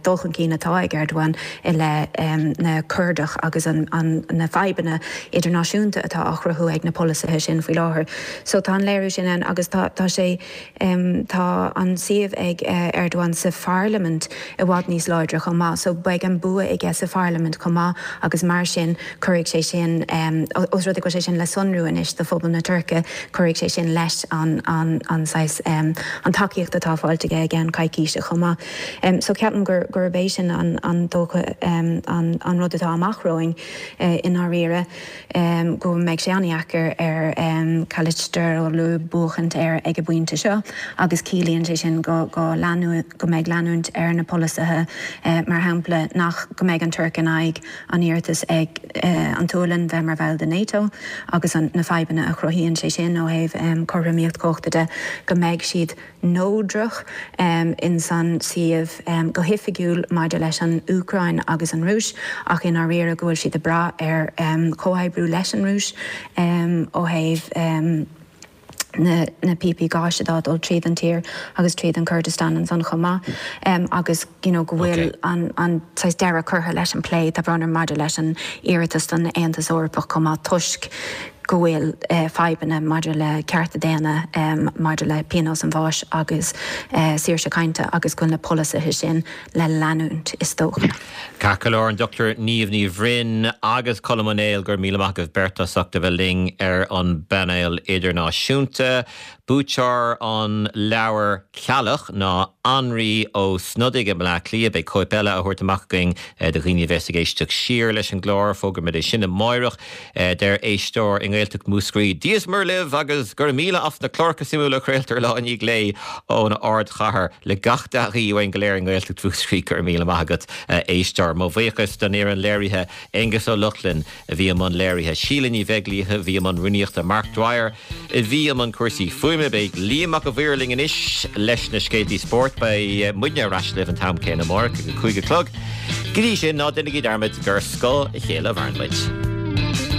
dul chun cinn atá ag Erdogan i leith na Curdach agus an na fadhbanna idirnáisiúnta atá á chruthú ag na polasaithe sin faoi láthair. So tá an léiriú sin ann agus tá tá sé tá an suíomh ag Erdogan sa pharlaimint i bhfad níos láidre chomh maith. So beidh an bua aige sa pharlaimint chomh maith agus mar sin cuirfidh sé sin os rud é go bhfuil sé sin le sonrú anois do phobal na Tuirce, cuirfidh sé sin leis an an an saghas an tacaíocht atá faighte aige i gceann coicíse chomh maith. So ceapaim gur gurb é sin an an dócha an an rud atá amach romhainn i ndáiríre go mbeidh sé an-deacair ar Kılıçdaroğlu buachaint air ag an bpointe seo agus ciallaíonn sé sin go go leanú go mbeidh leanúint ar na polasaithe mar shampla nach go mbeidh an Tuirc in aghaidh an iarratas ag an tSualainn bheith mar bhall de NATO agus an na fadhbanna a chruthaíonn sé sin ó thaobh cothromaíocht cumhachta de go mbeidh siad neodrach in san suíomh go hoifigiúil maidir leis an Úcráin agus an Rúis ach i ndáiríre go bhfuil siad ag brath ar chomhoibriú leis an Rúis ó thaobh na na píopaí gáis atá dul tríd an tír agus tríd an Kurdistan ansan chomh maith agus you know go bhfuil an an saghas deireadh curtha leis an plé tá brón orm maidir leis an iarratas don Aontas Eorpach chomh maith toisc go bhfuil fadhbanna maidir le cearta daonna maidir le pionós an bháis agus saoirse cainte agus go bhfuil na polasaithe sin le leanúint is dócha. Ceart go leor an Dochtúir Niamh Ní Bhroin agus Colm Ó Néill go raibh míle maith agaibh beirt as ucht a bheith linn ar an bpainéal idirnáisiúnta. Buaiteoir an leabhair Ceallach ná Anraí Ó Snodaigh i mBleá Cliath. Beidh cóip eile á thabhairt amach againn do dhaoine a bheas ag éisteacht siar leis an gclár. Fógróimid é sin amáireach. Deir éisteoir i nGaeltacht Mhúscraí, Dia is Muire libh agus go raibh míle as na cláracha suimiúla a chraoltar lá i ndiaidh lae ón ardchathair le gach dea-ghuí uainn go léir i nGaeltacht Mhúscraí. Go raibh míle maith agat, a éisteoir. Mo bhuíochas don fhoireann léirithe, Aengus Ó Lochlainn a bhí i mbun léirithe, Síle Ní Bheaglaoich a bhí i mbun rúnaíochta, Mark Dwyer a bhí i mbun cúrsaí fuaime. Beidh Liam Mac a' Mhaoir linn anois leis na scéaltaí spóirt. Beidh muidne ar ais libh an t-am céanna amárach ag a cúig a chlog. Go dtí sin, ná déanaigí dearmad gur ar scáth a chéile a mhaireann muid.